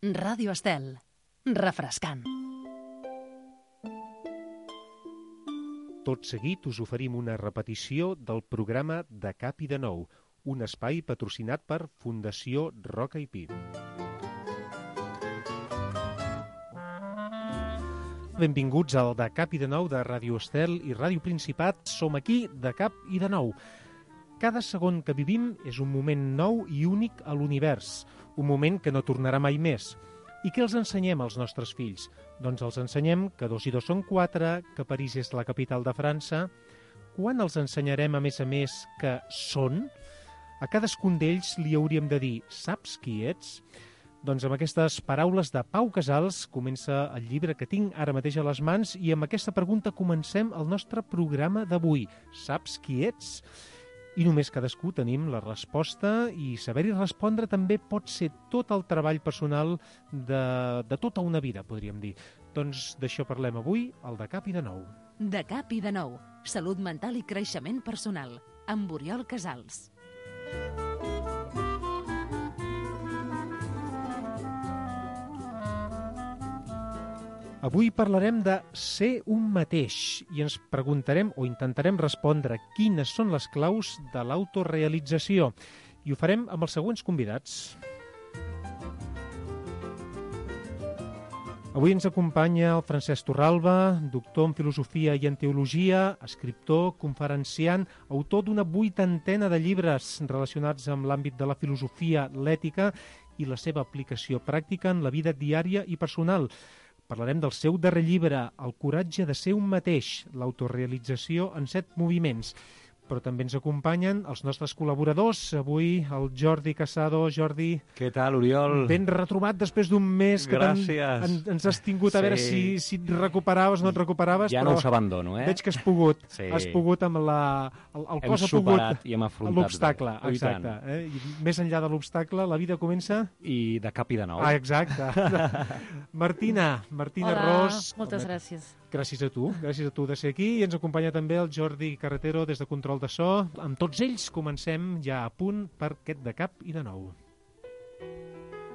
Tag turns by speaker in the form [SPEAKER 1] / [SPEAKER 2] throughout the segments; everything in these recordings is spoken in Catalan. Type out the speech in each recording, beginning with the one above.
[SPEAKER 1] Ràdio Estel. Refrescant.
[SPEAKER 2] Tot seguit us oferim una repetició del programa De Cap i de Nou, un espai patrocinat per Fundació Roca i Pi. Benvinguts al De Cap i de Nou de Ràdio Estel i Ràdio Principat. Som aquí, De Cap i de Nou. Cada segon que vivim és un moment nou i únic a l'univers, un moment que no tornarà mai més. I què els ensenyem als nostres fills? Doncs els ensenyem que 2 i 2 són 4, que París és la capital de França. Quan els ensenyarem, a més, que són? A cadascun d'ells li hauríem de dir, saps qui ets? Doncs amb aquestes paraules de Pau Casals comença el llibre que tinc ara mateix a les mans i amb aquesta pregunta comencem el nostre programa d'avui. Saps qui ets? I només cadascú tenim la resposta i saber-hi respondre també pot ser tot el treball personal de tota una vida, podríem dir. Doncs d'això parlem avui, al De Cap i de Nou.
[SPEAKER 1] De Cap i de Nou. Salut mental i creixement personal. Amb Oriol Casals.
[SPEAKER 2] Avui parlarem de ser un mateix i ens preguntarem o intentarem respondre quines són les claus de l'autorealització. I ho farem amb els següents convidats. Avui ens acompanya el Francesc Torralba, doctor en Filosofia i en Teologia, escriptor, conferenciant, autor d'una 80ena de llibres relacionats amb l'àmbit de la filosofia, l'ètica i la seva aplicació pràctica en la vida diària i personal. Parlarem del seu darrer llibre, El coratge de ser un mateix, l'autorealització en 7 moviments. Però també ens acompanyen els nostres col·laboradors. Avui el Jordi Casado. Jordi...
[SPEAKER 3] Què tal, Oriol?
[SPEAKER 2] Ben retrobat després d'un mes que ens has tingut a veure si et recuperaves o no et recuperaves.
[SPEAKER 3] Ja no us abandono,
[SPEAKER 2] Veig que has pogut.
[SPEAKER 3] Sí.
[SPEAKER 2] Has pogut amb el cos ha
[SPEAKER 3] superat i hem afrontat
[SPEAKER 2] l'obstacle. Exacte. I més enllà de l'obstacle, la vida comença...
[SPEAKER 3] I de cap i de nou.
[SPEAKER 2] Ah, exacte. Martina
[SPEAKER 4] Hola,
[SPEAKER 2] Ros.
[SPEAKER 4] moltes gràcies.
[SPEAKER 2] Gràcies a tu de ser aquí. I ens acompanya també el Jordi Carretero des de Control de So. Amb tots ells comencem ja a punt per aquest De Cap i de Nou.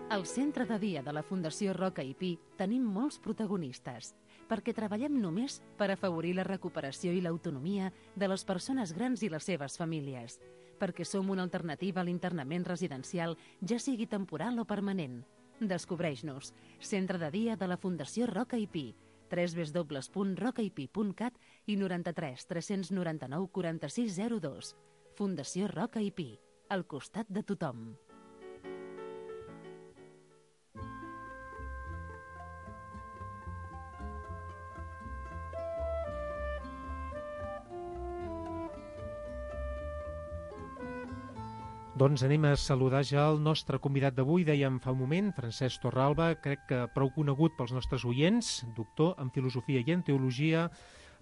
[SPEAKER 1] Al centre de dia de la Fundació Roca i Pi tenim molts protagonistes, perquè treballem només per afavorir la recuperació i l'autonomia de les persones grans i les seves famílies, perquè som una alternativa a l'internament residencial, ja sigui temporal o permanent. Descobreix-nos. Centre de dia de la Fundació Roca i Pi, www.rocaipi.cat i 93 399 4602. Fundació Roca i Pi, al costat de tothom.
[SPEAKER 2] Doncs anem a saludar ja el nostre convidat d'avui, dèiem fa un moment, Francesc Torralba, crec que prou conegut pels nostres oients, doctor en Filosofia i en Teologia,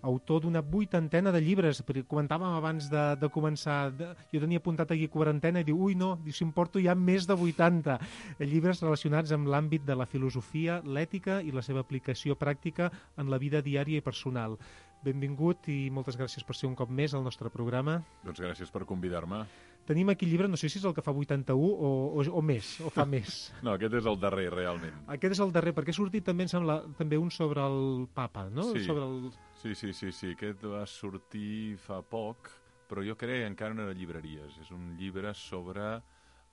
[SPEAKER 2] autor d'una 80ena de llibres. Comentàvem abans de començar, jo tenia apuntat aquí 40 i diu, si em porto ja més de 80 llibres relacionats amb l'àmbit de la filosofia, l'ètica i la seva aplicació pràctica en la vida diària i personal. Benvingut i moltes gràcies per ser un cop més al nostre programa.
[SPEAKER 5] Doncs gràcies per convidar-me.
[SPEAKER 2] Tenim aquí el llibre, no sé si és el que fa 81 o més, o fa més.
[SPEAKER 5] No, aquest és el darrer, realment.
[SPEAKER 2] Aquest és el darrer, perquè ha sortit també, em sembla, també un sobre el papa, no?
[SPEAKER 5] Sí,
[SPEAKER 2] sobre el...
[SPEAKER 5] sí, aquest va sortir fa poc, però jo crec que encara no era llibreries. És un llibre sobre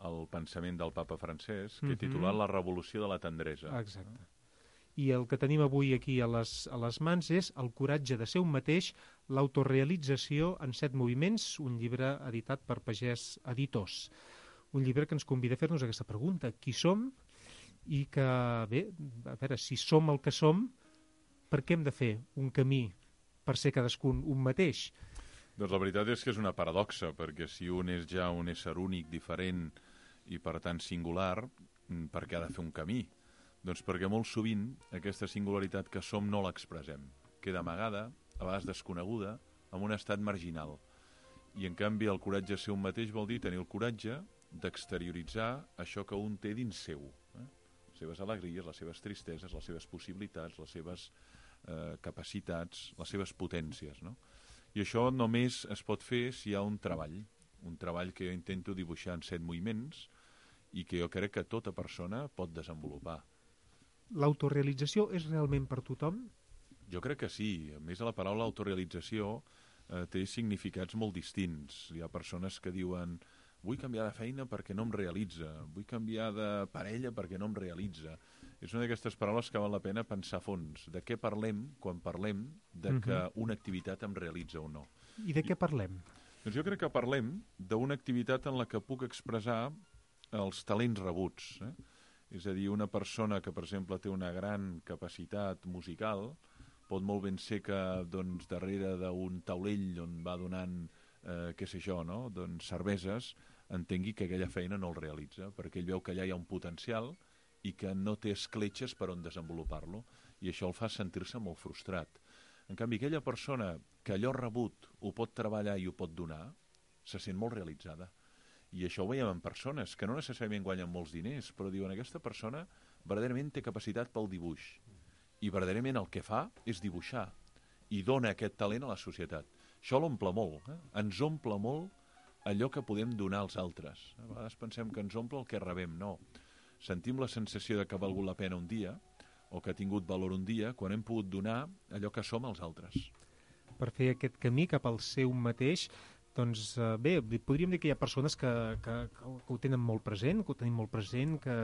[SPEAKER 5] el pensament del papa Francesc, que he titulat La revolució de la tendresa.
[SPEAKER 2] Exacte. I el que tenim avui aquí a les mans és El coratge de ser un mateix, l'autorealització en 7 moviments, un llibre editat per Pagès Editors. Un llibre que ens convida a fer-nos aquesta pregunta. Qui som? I que, bé, a veure, si som el que som, per què hem de fer un camí per ser cadascun un mateix?
[SPEAKER 5] Doncs la veritat és que és una paradoxa, perquè si un és ja un ésser únic, diferent i per tant singular, per què ha de fer un camí? Doncs perquè molt sovint aquesta singularitat que som no l'expressem. Queda amagada, a vegades desconeguda, en un estat marginal. I en canvi el coratge de ser un mateix vol dir tenir el coratge d'exterioritzar això que un té dins seu. Les seves alegries, les seves tristeses, les seves possibilitats, les seves capacitats, les seves potències, no? I això només es pot fer si hi ha un treball que jo intento dibuixar en 7 moviments i que jo crec que tota persona pot desenvolupar.
[SPEAKER 2] l'autorealització és realment per tothom?
[SPEAKER 5] Jo crec que sí. A més, la paraula autorealització té significats molt distints. Hi ha persones que diuen vull canviar de feina perquè no em realitza, vull canviar de parella perquè no em realitza. És una d'aquestes paraules que val la pena pensar a fons. De què parlem quan parlem de que una activitat em realitza o no?
[SPEAKER 2] I de què parlem?
[SPEAKER 5] Doncs jo crec que parlem d'una activitat en la que puc expressar els talents rebuts. És a dir, una persona que, per exemple, té una gran capacitat musical pot molt ben ser que doncs, darrere d'un taulell on va donant, què sé jo, no? Doncs cerveses, entengui que aquella feina no el realitza, perquè ell veu que allà hi ha un potencial i que no té escletxes per on desenvolupar-lo, i això el fa sentir-se molt frustrat. En canvi, aquella persona que allò rebut ho pot treballar i ho pot donar, se sent molt realitzada. I això ho veiem en persones que no necessàriament guanyen molts diners, però diuen aquesta persona verdaderament té capacitat pel dibuix. I verdaderament el que fa és dibuixar i dona aquest talent a la societat. Això l'omple molt, ens omple molt allò que podem donar als altres. A vegades pensem que ens omple el que rebem, no. Sentim la sensació de que ha valgut la pena un dia o que ha tingut valor un dia quan hem pogut donar allò que som als altres.
[SPEAKER 2] Per fer aquest camí cap al seu mateix, doncs bé, podríem dir que hi ha persones que ho tenen molt present, que ho tenim molt present, que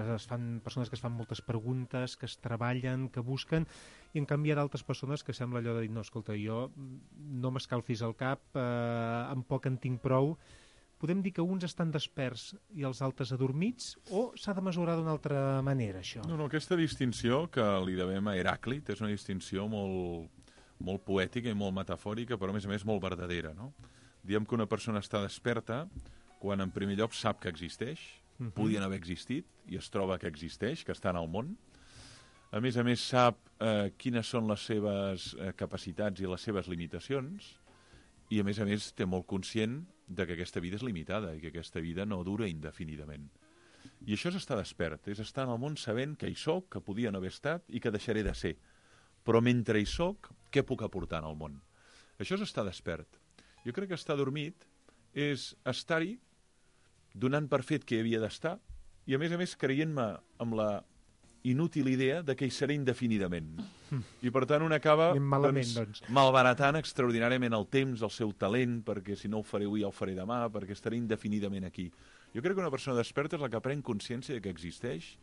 [SPEAKER 2] persones que es fan moltes preguntes, que es treballen, que busquen, i en canvi hi ha d'altres persones que sembla allò de dir, no, escolta, jo no m'escalfis el cap, amb poc en tinc prou. Podem dir que uns estan desperts i els altres adormits, o s'ha de mesurar d'una altra manera, això?
[SPEAKER 5] No, aquesta distinció que li devem a Heràclit és una distinció molt poètica i molt metafòrica, però a més molt verdadera, no? Diem que una persona està desperta quan en primer lloc sap que existeix, podien haver existit i es troba que existeix, que està en el món. A més sap quines són les seves capacitats i les seves limitacions, i a més té molt conscient de que aquesta vida és limitada i que aquesta vida no dura indefinidament. I això és estar despert, és estar en el món sabent que hi soc, que podia no haver estat i que deixaré de ser. Però mentre hi soc, què puc aportar al món? Això és estar despert. Jo crec que estar dormit és estar-hi donant per fet que hi havia d'estar i, a més creient-me amb la inútil idea de que hi seré indefinidament. I, per tant, un acaba malbaratant extraordinàriament el temps, el seu talent, perquè si no ho faré avui ja ho faré demà, perquè estaré indefinidament aquí. Jo crec que una persona desperta és la que pren consciència de que existeix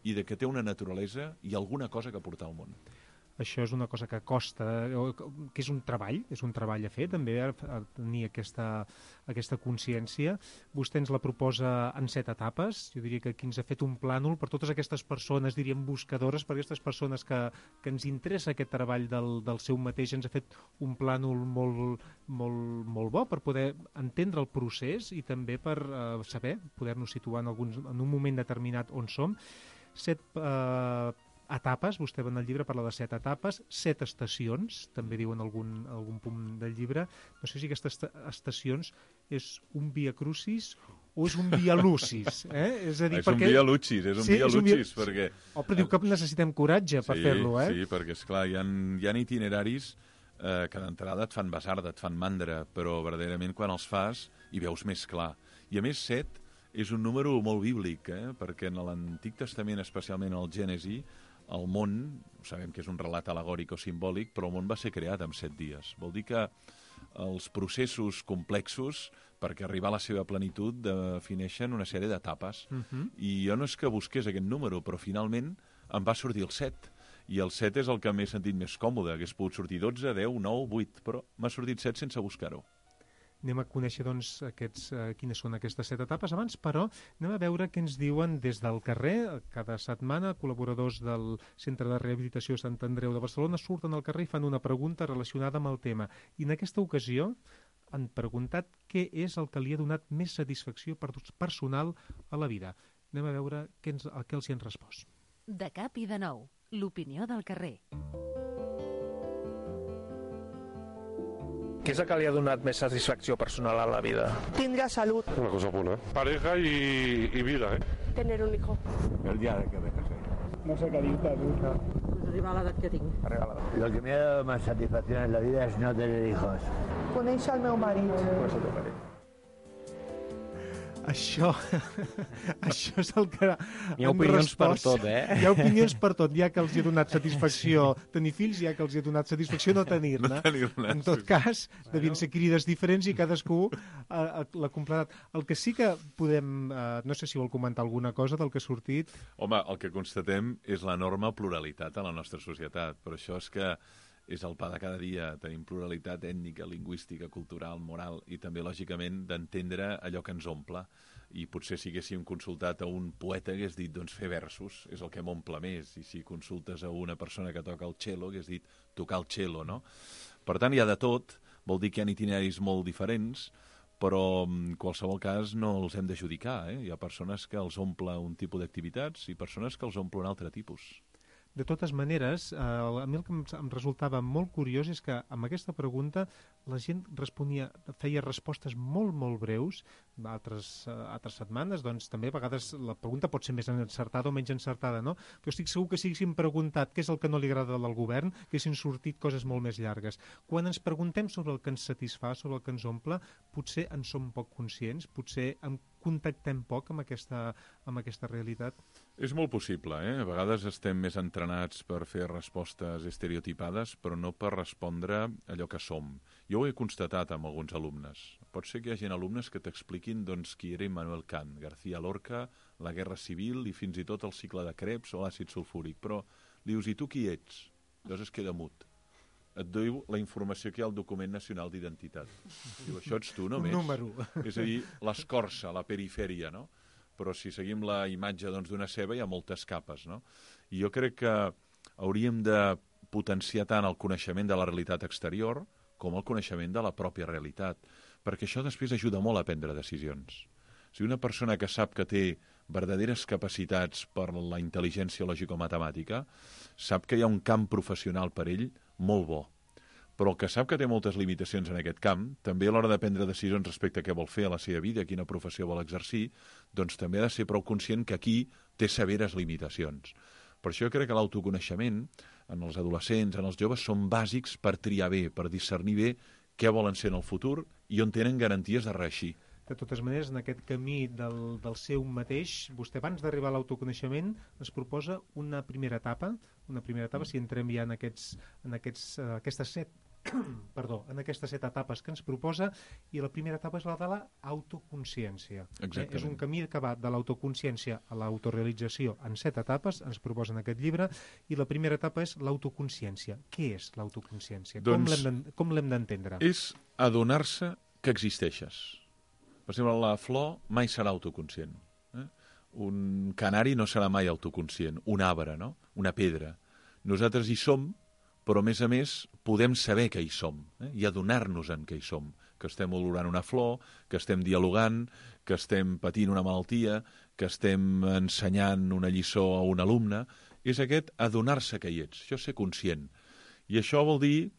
[SPEAKER 5] i de que té una naturalesa i alguna cosa que aportar al món.
[SPEAKER 2] Això és una cosa que costa, que és un treball a fer, també, a tenir aquesta consciència. Vostè ens la proposa en 7 etapes. Jo diria que aquí ens ha fet un plànol per totes aquestes persones, diríem buscadores, per aquestes persones que ens interessa aquest treball del seu mateix. Ens ha fet un plànol molt bo per poder entendre el procés i també per saber, poder-nos situar en un moment determinat on som. 7 etapes, vostè en el llibre parla de 7 etapes, 7 estacions, també diu en algun punt del llibre. No sé si aquestes estacions és un via crucis o és un via lucis. És a dir,
[SPEAKER 5] és un via lucis, perquè...
[SPEAKER 2] Però diu que necessitem coratge per fer-lo,
[SPEAKER 5] Sí, perquè, esclar, hi ha itineraris que d'entrada et fan basarda, et fan mandra, però verdaderament quan els fas hi veus més clar. I a més 7 és un número molt bíblic, perquè en l'Antic Testament, especialment al Gènesi, el món, sabem que és un relat alegòric o simbòlic, però el món va ser creat en 7 dies. Vol dir que els processos complexos, perquè arribar a la seva plenitud, defineixen una sèrie d'etapes. I jo no és que busqués aquest número, però finalment em va sortir el 7. I el 7 és el que m'he sentit més còmode. Hagués pogut sortir 12, 10, 9, 8, però m'ha sortit 7 sense buscar-ho.
[SPEAKER 2] Anem a conèixer, doncs, quines són aquestes 7 etapes. Abans, però, anem a veure què ens diuen des del carrer. Cada setmana, col·laboradors del Centre de Rehabilitació Sant Andreu de Barcelona surten al carrer i fan una pregunta relacionada amb el tema. I en aquesta ocasió han preguntat què és el que li ha donat més satisfacció personal a la vida. Anem a veure què els hi han respost.
[SPEAKER 1] De cap i de nou, l'opinió del carrer.
[SPEAKER 4] ¿Qué es el que li ha donat més satisfacció personal a la vida?
[SPEAKER 6] Tindre salud.
[SPEAKER 7] Una cosa buena. Pareja y vida,
[SPEAKER 6] Tener un hijo.
[SPEAKER 8] El día de que me casé.
[SPEAKER 9] No sé qué dir-te, nunca.
[SPEAKER 6] Pues arribar a l'edat que tinc.
[SPEAKER 8] Lo que me ha dado más satisfacción en la vida es no tener hijos.
[SPEAKER 6] Conèixer el meu marit.
[SPEAKER 2] Això és el que...
[SPEAKER 3] Hi ha opinions per tot, eh?
[SPEAKER 2] Hi ha opinions per tot. Hi ha que els hi ha donat satisfacció tenir fills, hi ha que els hi ha donat satisfacció no tenir-ne. En tot cas, devien ser crides diferents i cadascú l'ha completat. El que sí que podem... no sé si vol comentar alguna cosa del que ha sortit.
[SPEAKER 5] Home, el que constatem és l'enorme pluralitat a la nostra societat. Per això és que és el pa de cada dia. Tenim pluralitat ètnica, lingüística, cultural, moral i també, lògicament, d'entendre allò que ens omple. I potser si haguéssim consultat a un poeta hagués dit, doncs, fer versos és el que m'omple més. I si consultes a una persona que toca el cello hagués dit tocar el cello, no? Per tant, hi ha de tot. Vol dir que hi ha itineraris molt diferents, però en qualsevol cas no els hem d'adjudicar. Hi ha persones que els omple un tipus d'activitats i persones que els omple un altre tipus.
[SPEAKER 2] De totes maneres, a mi el que em resultava molt curiós és que amb aquesta pregunta la gent feia respostes molt, molt breus. Altres setmanes, doncs, també a vegades la pregunta pot ser més encertada o menys encertada, no? Però estic segur que si haguéssim preguntat què és el que no li agrada del govern, haguessin sortit coses molt més llargues. Quan ens preguntem sobre el que ens satisfà, sobre el que ens omple, potser en som poc conscients, potser contactem poc amb aquesta realitat.
[SPEAKER 5] És molt possible, A vegades estem més entrenats per fer respostes estereotipades, però no per respondre allò que som. Jo ho he constatat amb alguns alumnes. Pot ser que hi hagi alumnes que t'expliquin qui era Immanuel Kant, García Lorca, la Guerra Civil i fins i tot el cicle de Krebs o l'àcid sulfúric. Però li dius, i tu qui ets? Llavors es queda mut. Et diu la informació que hi ha al document nacional d'identitat. Diu, això ets tu només.
[SPEAKER 2] Un número.
[SPEAKER 5] És a dir, l'escorça, la perifèria, no? Però si seguim la imatge d'una ceba hi ha moltes capes, no? I jo crec que hauríem de potenciar tant el coneixement de la realitat exterior com el coneixement de la pròpia realitat, perquè això després ajuda molt a prendre decisions. Si una persona que sap que té verdaderes capacitats per la intel·ligència lògico-matemàtica, sap que hi ha un camp professional per ell molt bo. Però el que sap que té moltes limitacions en aquest camp, també a l'hora de prendre decisions respecte a què vol fer a la seva vida, quina professió vol exercir, doncs també ha de ser prou conscient que aquí té severes limitacions. Per això jo crec que l'autoconeixement en els adolescents, en els joves, són bàsics per triar bé, per discernir bé què volen ser en el futur i on tenen garanties de reeixir.
[SPEAKER 2] De totes maneres, en aquest camí del seu mateix, vostè abans d'arribar a l'autoconeixement ens proposa una primera etapa, si entrem ja en aquestes set etapes que ens proposa, i la primera etapa és la de l'autoconsciència. És un camí que va de l'autoconsciència a l'autorealització en 7 etapes, ens proposa en aquest llibre, i la primera etapa és l'autoconsciència. Què és l'autoconsciència? Com l'hem d'entendre?
[SPEAKER 5] És adonar-se que existeixes. Per exemple, la flor mai serà autoconscient. Un canari no serà mai autoconscient. Un arbre, no? Una pedra. Nosaltres hi som, però a més podem saber que hi som i adonar-nos en que hi som, que estem olorant una flor, que estem dialogant, que estem patint una malaltia, que estem ensenyant una lliçó a un alumne. És aquest adonar-se que hi ets, això és ser conscient. I això vol dir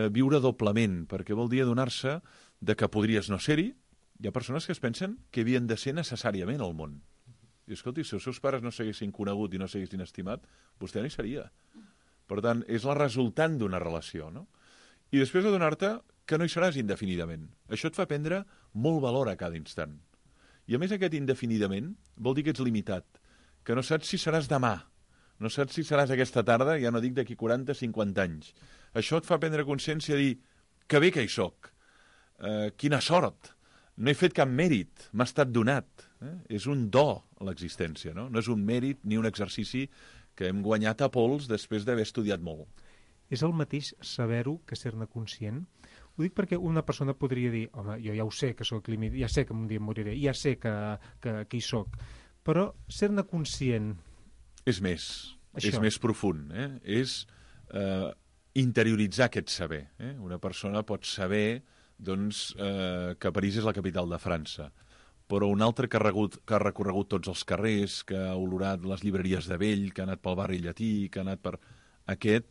[SPEAKER 5] viure doblement, perquè vol dir adonar-se de que podries no ser-hi. Hi ha persones que es pensen que havien de ser necessàriament al món. I escolti, si els seus pares no s'haguessin conegut i no s'haguessin estimat, vostè no hi seria. Per tant, és la resultant d'una relació, no? I després adonar-te que no hi seràs indefinidament. Això et fa prendre molt valor a cada instant. I a més aquest indefinidament vol dir que ets limitat, que no saps si seràs demà, no saps si seràs aquesta tarda, ja no dic d'aquí 40-50 anys. Això et fa prendre consciència de dir que bé que hi soc, quina sort, no he fet cap mèrit, m'ha estat donat. És un do a l'existència, no? No és un mèrit ni un exercici que hem guanyat a pols després d'haver estudiat molt.
[SPEAKER 2] És el mateix saber-ho que ser-ne conscient? Ho dic perquè una persona podria dir, home, jo ja ho sé que sóc límit, ja sé que un dia em moriré, ja sé que hi soc, però ser-ne conscient...
[SPEAKER 5] És més profund, és interioritzar aquest saber. Una persona pot saber que París és la capital de França, però un altre que ha recorregut tots els carrers, que ha olorat les llibreries de vell, que ha anat pel barri llatí, que ha anat per... Aquest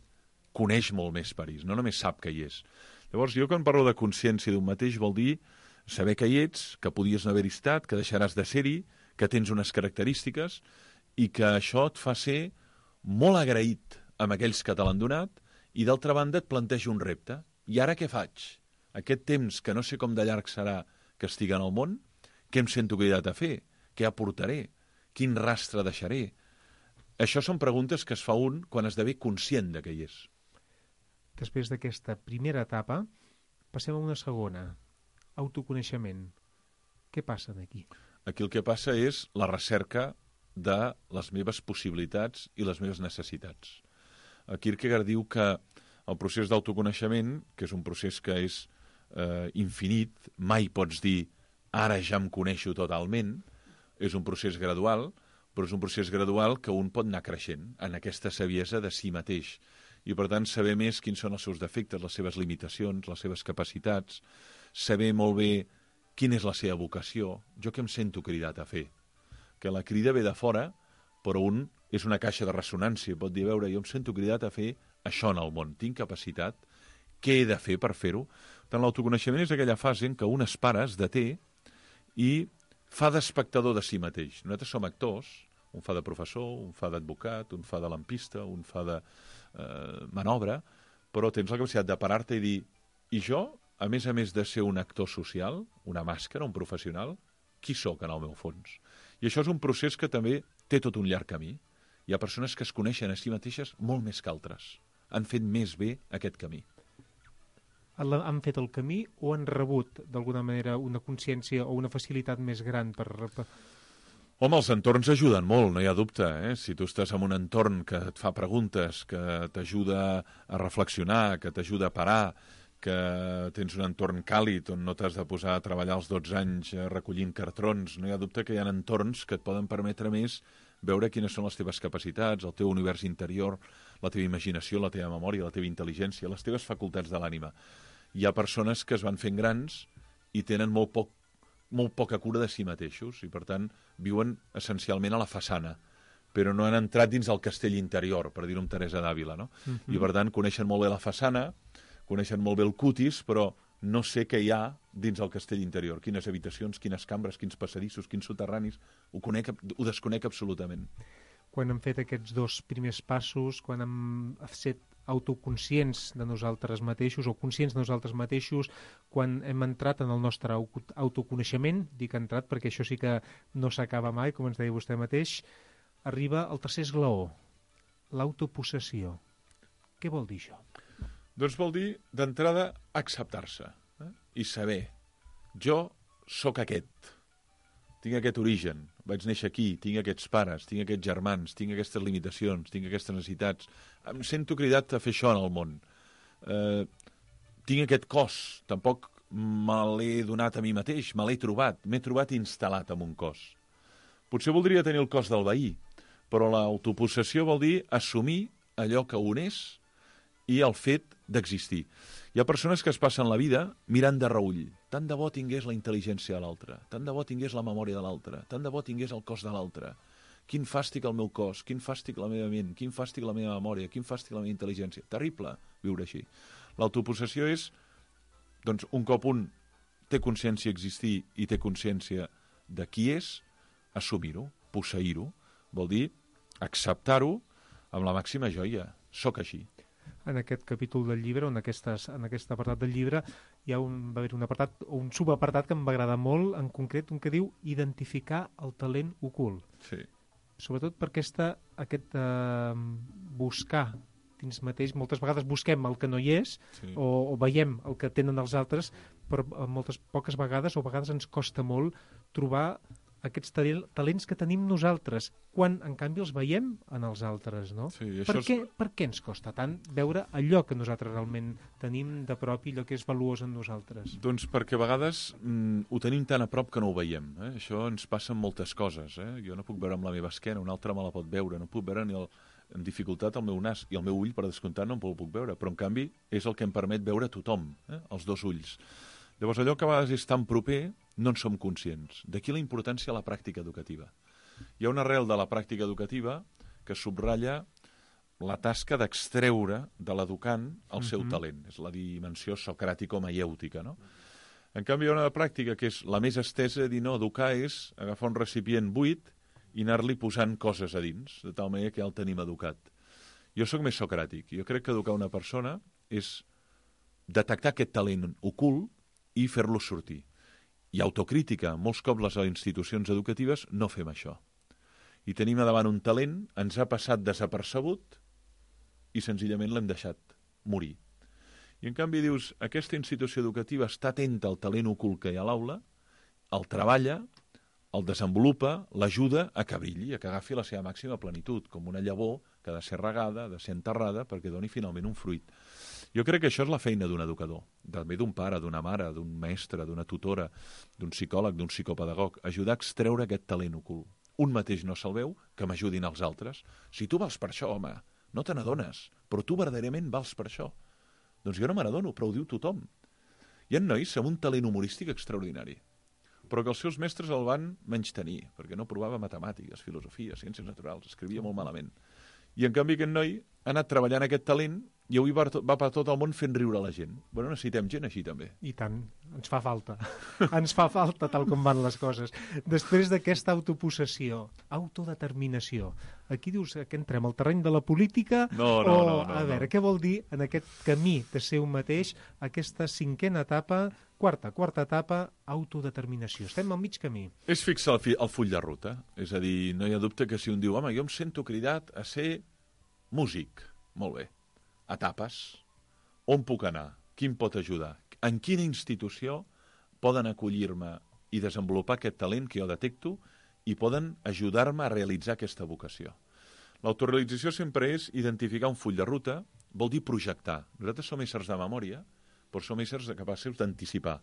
[SPEAKER 5] coneix molt més París, no només sap que hi és. Llavors, jo quan parlo de consciència d'un mateix vol dir saber que hi ets, que podies no haver-hi estat, que deixaràs de ser-hi, que tens unes característiques i que això et fa ser molt agraït amb aquells que te l'han donat i, d'altra banda, et planteja un repte. I ara què faig? Aquest temps, que no sé com de llarg serà que estigui en el món, Què em sento cridat a fer? Què aportaré? Quin rastre deixaré? Això són preguntes que es fa un quan esdevé conscient de què hi és.
[SPEAKER 2] Després d'aquesta primera etapa, passem a una segona, autoconeixement. Què passa aquí?
[SPEAKER 5] Aquí el que passa és la recerca de les meves possibilitats i les meves necessitats. Kierkegaard diu que el procés d'autoconeixement, que és un procés que és infinit, mai pots dir ara ja em coneixo totalment, és un procés gradual, però és un procés gradual que un pot anar creixent en aquesta saviesa de si mateix. I, per tant, saber més quins són els seus defectes, les seves limitacions, les seves capacitats, saber molt bé quina és la seva vocació, jo què em sento cridat a fer. Que la crida ve de fora, però un és una caixa de ressonància, pot dir, a veure, jo em sento cridat a fer això en el món, tinc capacitat, què he de fer per fer-ho? Tant l'autoconeixement és aquella fase en què un es para, es deté i fa d'espectador de si mateix. Nosaltres som actors, un fa de professor, un fa d'advocat, un fa de lampista, un fa de manobra, però tens la capacitat de parar-te i dir, i jo, a més de ser un actor social, una màscara, un professional, qui sóc en el meu fons? I això és un procés que també té tot un llarg camí. Hi ha persones que es coneixen a si mateixes molt més que altres. Han fet més bé aquest camí.
[SPEAKER 2] Han fet el camí o han rebut, d'alguna manera, una consciència o una facilitat més gran per...
[SPEAKER 5] Home, els entorns ajuden molt, no hi ha dubte. Si tu estàs en un entorn que et fa preguntes, que t'ajuda a reflexionar, que t'ajuda a parar, que tens un entorn càlid on no t'has de posar a treballar als 12 anys recollint cartrons, no hi ha dubte que hi ha entorns que et poden permetre més veure quines són les teves capacitats, el teu univers interior, la teva imaginació, la teva memòria, la teva intel·ligència, les teves facultats de l'ànima. Hi ha persones que es van fent grans i tenen molt poca cura de si mateixos i, per tant, viuen essencialment a la façana, però no han entrat dins el castell interior, per dir-ho amb Teresa d'Àvila, no? I, per tant, coneixen molt bé la façana, coneixen molt bé el cutis, però no sé què hi ha dins el castell interior, quines habitacions, quines cambres, quins passadissos, quins soterranis, ho desconec absolutament.
[SPEAKER 2] Quan hem fet aquests dos primers passos, quan hem set autoconscients de nosaltres mateixos o conscients de nosaltres mateixos, quan hem entrat en el nostre autoconeixement, dic entrat perquè això sí que no s'acaba mai, com ens deia vostè mateix, arriba el tercer esglaó, l'autopossessió. Què vol dir això?
[SPEAKER 5] Doncs vol dir, d'entrada, acceptar-se i saber, jo sóc aquest, tinc aquest origen, vaig néixer aquí, tinc aquests pares, tinc aquests germans, tinc aquestes limitacions, tinc aquestes necessitats, em sento cridat a fer això en el món. Tinc aquest cos, tampoc me l'he donat a mi mateix, me l'he trobat, m'he trobat instal·lat en un cos. Potser voldria tenir el cos del veí, però l'autopossessió vol dir assumir allò que un és i el fet d'existir. Hi ha persones que es passen la vida mirant de reull. Tant de bo tingués la intel·ligència de l'altre, tant de bo tingués la memòria de l'altre, tant de bo tingués el cos de l'altre. Quin fàstic el meu cos, quin fàstic la meva ment, quin fàstic la meva memòria, quin fàstic la meva intel·ligència. Terrible viure així. L'autopossessió és, doncs, un cop un té consciència d'existir i té consciència de qui és, assumir-ho, posseir-ho, vol dir acceptar-ho amb la màxima joia. Soc així.
[SPEAKER 2] En aquest capítol del llibre, en aquest apartat del llibre, va haver un apartat, o un subapartat que em va agradar molt, en concret, un que diu identificar el talent ocult.
[SPEAKER 5] Sí.
[SPEAKER 2] Sobretot per aquest buscar dins mateix. Moltes vegades busquem el que no hi és, sí, o veiem el que tenen els altres, però poques vegades, o a vegades ens costa molt trobar aquests talents que tenim nosaltres, quan, en canvi, els veiem en els altres, no?
[SPEAKER 5] Sí,
[SPEAKER 2] per què ens costa tant veure allò que nosaltres realment tenim de prop i allò que és valuós en nosaltres?
[SPEAKER 5] Doncs perquè a vegades ho tenim tan a prop que no ho veiem. Això ens passa amb moltes coses. Jo no puc veure amb la meva esquena, un altre me la pot veure, no puc veure ni en dificultat el meu nas, i el meu ull, per descomptat, no el puc veure, però en canvi és el que em permet veure tothom, els dos ulls. Llavors, allò que a vegades és tan proper, no en som conscients. D'aquí la importància de la pràctica educativa. Hi ha una arrel de la pràctica educativa que subratlla la tasca d'extreure de l'educant el seu talent. És la dimensió socràtico-maièutica, no? En canvi, hi ha una pràctica que és la més estesa, dir, no, educar és agafar un recipient buit i anar-li posant coses a dins, de tal manera que ja el tenim educat. Jo sóc més socràtic. Jo crec que educar una persona és detectar aquest talent ocult i fer-lo sortir. i autocrítica. Molts cops les institucions educatives no fem això. I tenim a davant un talent, ens ha passat desapercebut i senzillament l'hem deixat morir. I en canvi dius, aquesta institució educativa està atenta al talent ocult que hi ha a l'aula, el treballa, el desenvolupa, l'ajuda a que brilli, a que agafi la seva màxima plenitud, com una llavor que ha de ser regada, ha de ser enterrada, perquè doni finalment un fruit. Jo crec que això és la feina d'un educador, també d'un pare, d'una mare, d'un mestre, d'una tutora, d'un psicòleg, d'un psicopedagog, ajudar a extreure aquest talent ocult. Un mateix no se'l veu, que m'ajudin els altres. Si tu vals per això, home, no te n'adones, però tu verdaderament vals per això. Doncs jo no me n'adono, però ho diu tothom. Hi ha nois amb un talent humorístic extraordinari, però que els seus mestres el van menystenir, perquè no provava matemàtiques, filosofia, ciències naturals, escrivia molt malament. I en canvi aquest noi ha anat treballant aquest talent i avui va per tot el món fent riure la gent. Bueno, necessitem gent així també.
[SPEAKER 2] I tant, ens fa falta. Ens fa falta tal com van les coses. Després d'aquesta autopossessió, autodeterminació, aquí dius que entrem al terreny de la política
[SPEAKER 5] No.
[SPEAKER 2] A veure, què vol dir en aquest camí de ser un mateix aquesta cinquena etapa, quarta etapa, autodeterminació? Estem al mig camí.
[SPEAKER 5] És fixar el full de ruta. És a dir, no hi ha dubte que si un diu, home, jo em sento cridat a ser músic, molt bé. Etapes. On puc anar? Qui em pot ajudar? En quina institució poden acollir-me i desenvolupar aquest talent que jo detecto i poden ajudar-me a realitzar aquesta vocació? L'autorealització sempre és identificar un full de ruta, vol dir projectar. Nosaltres som éssers de memòria, però som éssers capaços d'anticipar.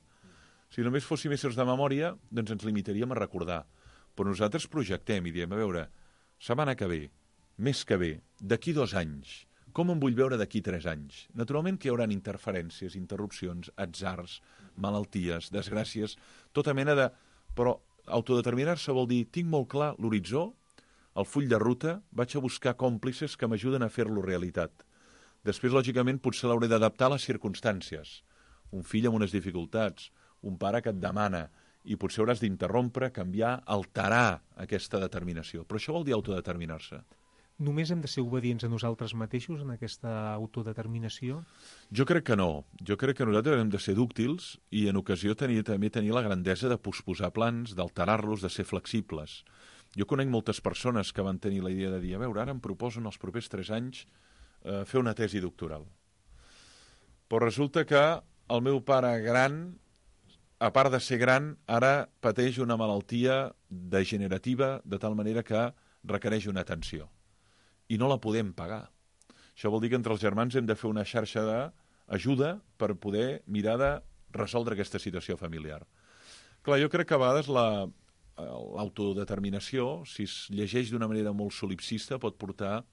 [SPEAKER 5] Si només fóssim éssers de memòria, doncs ens limitaríem a recordar. Però nosaltres projectem i diem, a veure, setmana que ve, mes que ve, d'aquí 2 anys, com em vull veure d'aquí 3 anys? Naturalment que hi haurà interferències, interrupcions, atzars, malalties, desgràcies, tota mena de... Però autodeterminar-se vol dir, tinc molt clar l'horitzó, el full de ruta, vaig a buscar còmplices que m'ajuden a fer-lo realitat. Després, lògicament, potser l'hauré d'adaptar a les circumstàncies. Un fill amb unes dificultats, un pare que et demana, i potser hauràs d'interrompre, canviar, alterar aquesta determinació. Però això vol dir autodeterminar-se.
[SPEAKER 2] Només hem de ser obedients a nosaltres mateixos en aquesta autodeterminació?
[SPEAKER 5] Jo crec que no. Jo crec que nosaltres hem de ser dúctils i en ocasió també tenir la grandesa de posposar plans, d'alterar-los, de ser flexibles. Jo conec moltes persones que van tenir la idea de dir, a veure, ara em proposen els propers 3 anys fer una tesi doctoral. Però resulta que el meu pare gran, a part de ser gran, ara pateix una malaltia degenerativa de tal manera que requereix una atenció. I no la podem pagar. Això vol dir que entre els germans hem de fer una xarxa d'ajuda per poder mirar de resoldre aquesta situació familiar. Clar, jo crec que a vegades l'autodeterminació, si es llegeix d'una manera molt solipsista, pot portar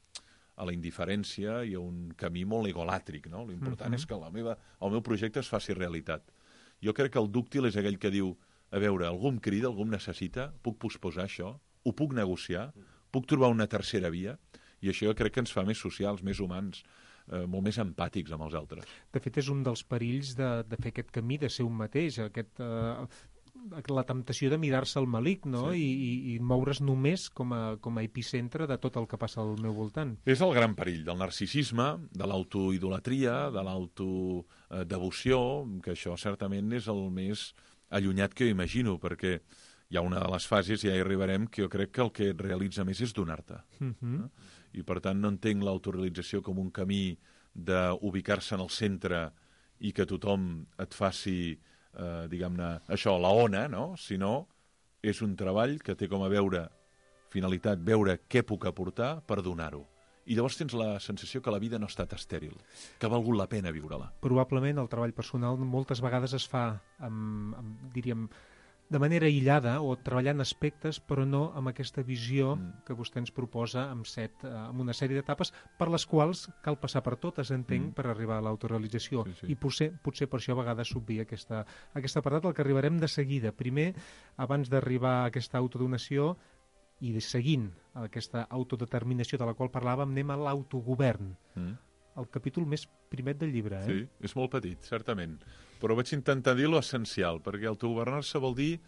[SPEAKER 5] a la indiferència i a un camí molt egolàtric, no? L'important és que el meu projecte es faci realitat. Jo crec que el dúctil és aquell que diu, a veure, algú em crida, algú em necessita, puc posposar això, ho puc negociar, puc trobar una tercera via, i això jo crec que ens fa més socials, més humans, molt més empàtics amb els altres.
[SPEAKER 2] De fet, és un dels perills de fer aquest camí, de ser un mateix, la temptació de mirar-se al malic, no?
[SPEAKER 5] Sí.
[SPEAKER 2] I moure's només com a epicentre de tot el que passa al meu voltant.
[SPEAKER 5] És el gran perill del narcisisme, de l'autoidolatria, de l'autodevoció, que això certament és el més allunyat que jo imagino, perquè hi ha una de les fases, ja hi arribarem, que jo crec que el que et realitza més és donar-te. I per tant no entenc l'autorealització com un camí d'ubicar-se en el centre i que tothom et faci, diguem-ne, això, la ona, no? Sinó és un treball que té com a finalitat veure què puc aportar per donar-ho. I llavors tens la sensació que la vida no ha estat estèril, que ha valgut la pena viure-la.
[SPEAKER 2] Probablement el treball personal moltes vegades es fa diríem, de manera aïllada o treballant aspectes, però no amb aquesta visió que vostè ens proposa amb una sèrie d'etapes per les quals cal passar per totes, entenc, per arribar a l'autorealització.
[SPEAKER 5] Sí.
[SPEAKER 2] I potser per això a vegades s'obvia aquesta apartat, al que arribarem de seguida. Primer, abans d'arribar a aquesta autodonació i seguint aquesta autodeterminació de la qual parlàvem, anem a l'autogovern. El capítol més primet del llibre.
[SPEAKER 5] Sí, és molt petit, certament. Però vaig intentar dir l'essencial, perquè autogovernar-se vol dir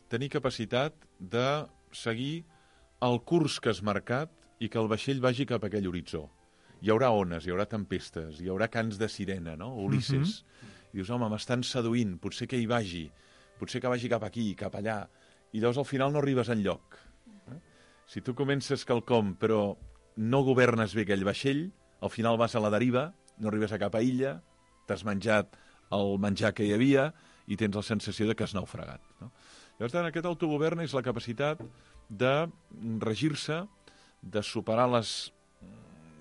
[SPEAKER 5] tenir capacitat de seguir el curs que has marcat i que el vaixell vagi cap a aquell horitzó. Hi haurà ones, hi haurà tempestes, hi haurà cants de sirena, no? Ulisses. I dius, home, m'estan seduint, potser que hi vagi, potser que vagi cap aquí, cap allà, i llavors al final no arribes enlloc. Si tu comences quelcom però no governes bé aquell vaixell, al final vas a la deriva, no arribes a cap illa, t'has menjat el menjar que hi havia i tens la sensació de que has naufragat. No? Llavors, aquest autogovern és la capacitat de regir-se, de superar les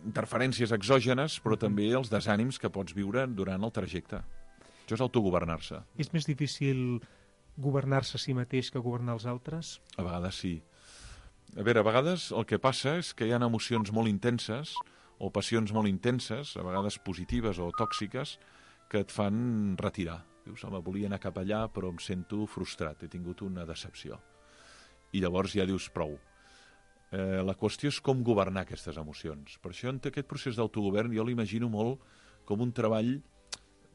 [SPEAKER 5] interferències exògenes, però també els desànims que pots viure durant el trajecte. Això és autogovernar-se.
[SPEAKER 2] És més difícil governar-se a si mateix que governar els altres?
[SPEAKER 5] A vegades sí. A veure, a vegades el que passa és que hi ha emocions molt intenses o passions molt intenses, a vegades positives o tòxiques, que et fan retirar. Dius, home, volia anar cap allà, però em sento frustrat, he tingut una decepció. I llavors ja dius, prou. La qüestió és com governar aquestes emocions. Per això, en aquest procés d'autogovern, jo l'imagino molt com un treball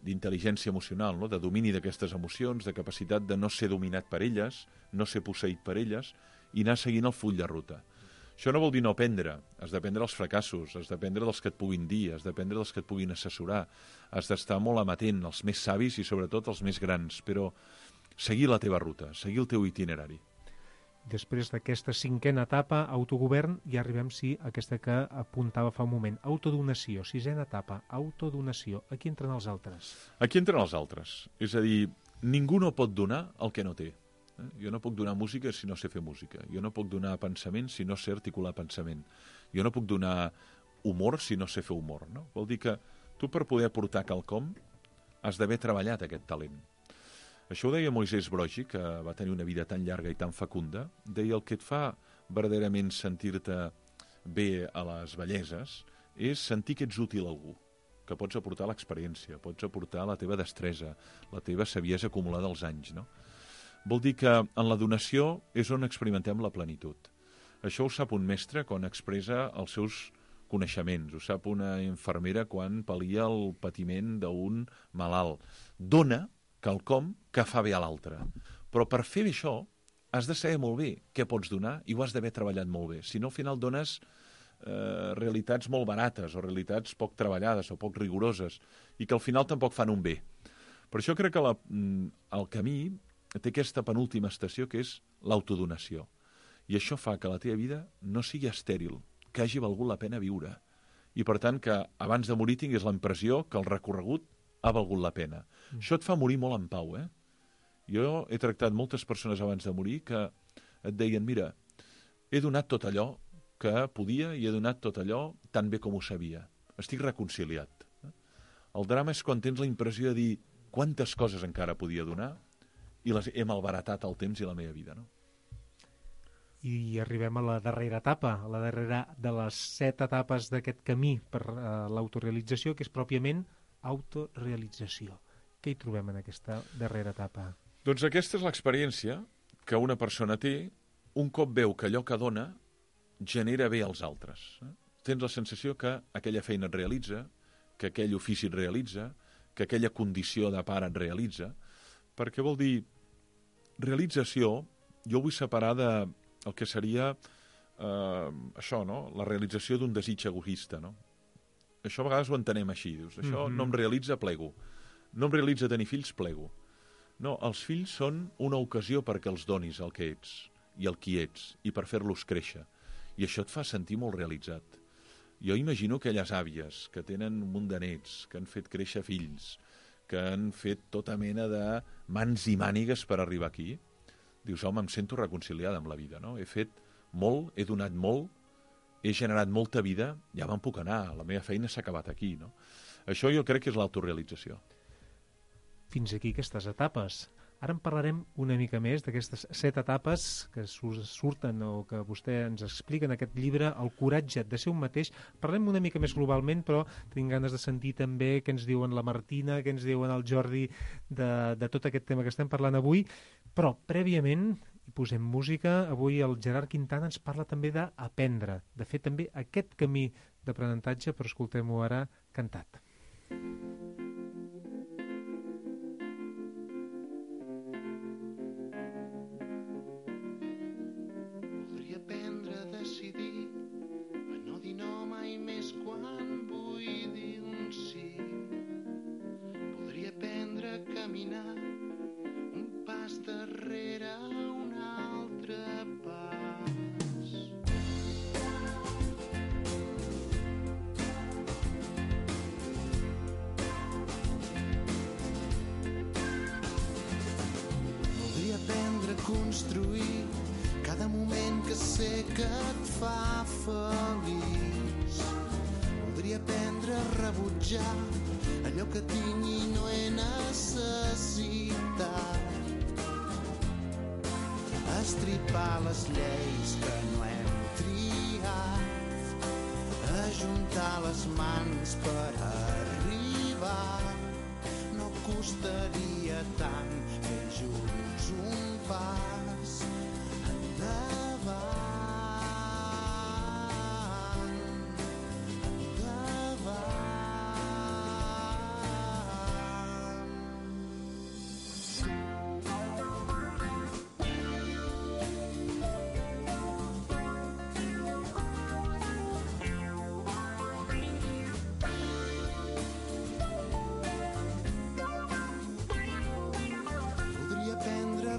[SPEAKER 5] d'intel·ligència emocional, no? De domini d'aquestes emocions, de capacitat de no ser dominat per elles, no ser posseït per elles, i anar seguint el full de ruta. Això no vol dir no aprendre, has d'aprendre els fracassos, has d'aprendre dels que et puguin dir, has d'aprendre dels que et puguin assessorar, has d'estar molt amatent, els més savis i sobretot els més grans, però seguir la teva ruta, seguir el teu itinerari.
[SPEAKER 2] Després d'aquesta 5a etapa, autogovern, ja arribem, sí, a aquesta que apuntava fa un moment. Autodonació, 6a etapa, autodonació. Aquí entren els altres.
[SPEAKER 5] Aquí entren els altres. És a dir, ningú no pot donar el que no té. Jo no puc donar música si no sé fer música. Jo no puc donar pensament si no sé articular pensament. Jo no puc donar humor si no sé fer humor. No? Vol dir que tu per poder aportar quelcom has d'haver treballat aquest talent. Això ho deia Moisès Broggi, que va tenir una vida tan llarga i tan fecunda. Deia, el que et fa verdaderament sentir-te bé a les velleses és sentir que ets útil a algú, que pots aportar l'experiència, pots aportar la teva destresa, la teva saviesa acumulada als anys. No? Vol dir que en la donació és on experimentem la plenitud. Això ho sap un mestre quan expressa els seus coneixements, ho sap una infermera quan pal·lia el patiment d'un malalt. Dona quelcom que fa bé a l'altre. Però per fer això has de saber molt bé què pots donar i ho has d'haver treballat molt bé. Si no, al final dones realitats molt barates o realitats poc treballades o poc rigoroses i que al final tampoc fan un bé. Per això crec que el camí té aquesta penúltima estació que és l'autodonació. I això fa que la teva vida no sigui estèril, que hagi valgut la pena viure. I per tant que abans de morir tinguis la impressió que el recorregut ha valgut la pena. Això et fa morir molt en pau, eh? Jo he tractat moltes persones abans de morir que et deien, mira, he donat tot allò que podia i he donat tot allò tan bé com ho sabia. Estic reconciliat. El drama és quan tens la impressió de dir quantes coses encara podia donar i les he malbaratat el temps i la meva vida, no?
[SPEAKER 2] I arribem a la darrera etapa, a la darrera de les 7 etapes d'aquest camí per l'autorealització, que és pròpiament autorealització. Què hi trobem en aquesta darrera etapa?
[SPEAKER 5] Doncs aquesta és l'experiència que una persona té un cop veu que allò que dona genera bé als altres. Tens la sensació que aquella feina et realitza, que aquell ofici et realitza, que aquella condició de pare et realitza, perquè vol dir realització, jo vull separar del que seria això, no? La realització d'un desig egoista, no? Això a vegades ho entenem així, dius, això no em realitza, plego. No em realitza tenir fills, plego. No, els fills són una ocasió perquè els donis el que ets i el qui ets, i per fer-los créixer. I això et fa sentir molt realitzat. Jo imagino aquelles àvies que tenen un munt de nets, que han fet créixer fills, que han fet tota mena de mans i mànigues per arribar aquí. Dius, home, em sento reconciliada amb la vida, no? He fet molt, he donat molt, he generat molta vida, ja me'n puc anar, la meva feina s'ha acabat aquí, no? Això jo crec que és l'autorealització.
[SPEAKER 2] Fins aquí aquestes etapes. Ara en parlarem una mica més d'aquestes 7 etapes que surten o que vostè ens explica en aquest llibre, El coratge de ser un mateix. Parlem una mica més globalment, però tinc ganes de sentir també què ens diuen la Martina, què ens diuen el Jordi de tot aquest tema que estem parlant avui. Però, prèviament, hi posem música. Avui el Gerard Quintana ens parla també d'aprendre, de fer també aquest camí d'aprenentatge, però escoltem-ho ara cantat.
[SPEAKER 10] Caminar un pas de construir cada moment que sé que et fa feliç. Voldria aprendre a rebutjar allò que tinc i no he necessitat. Estripar les lleis que no hem triat, ajuntar les mans per arribar. No costaria tant fer junts un pas endavant.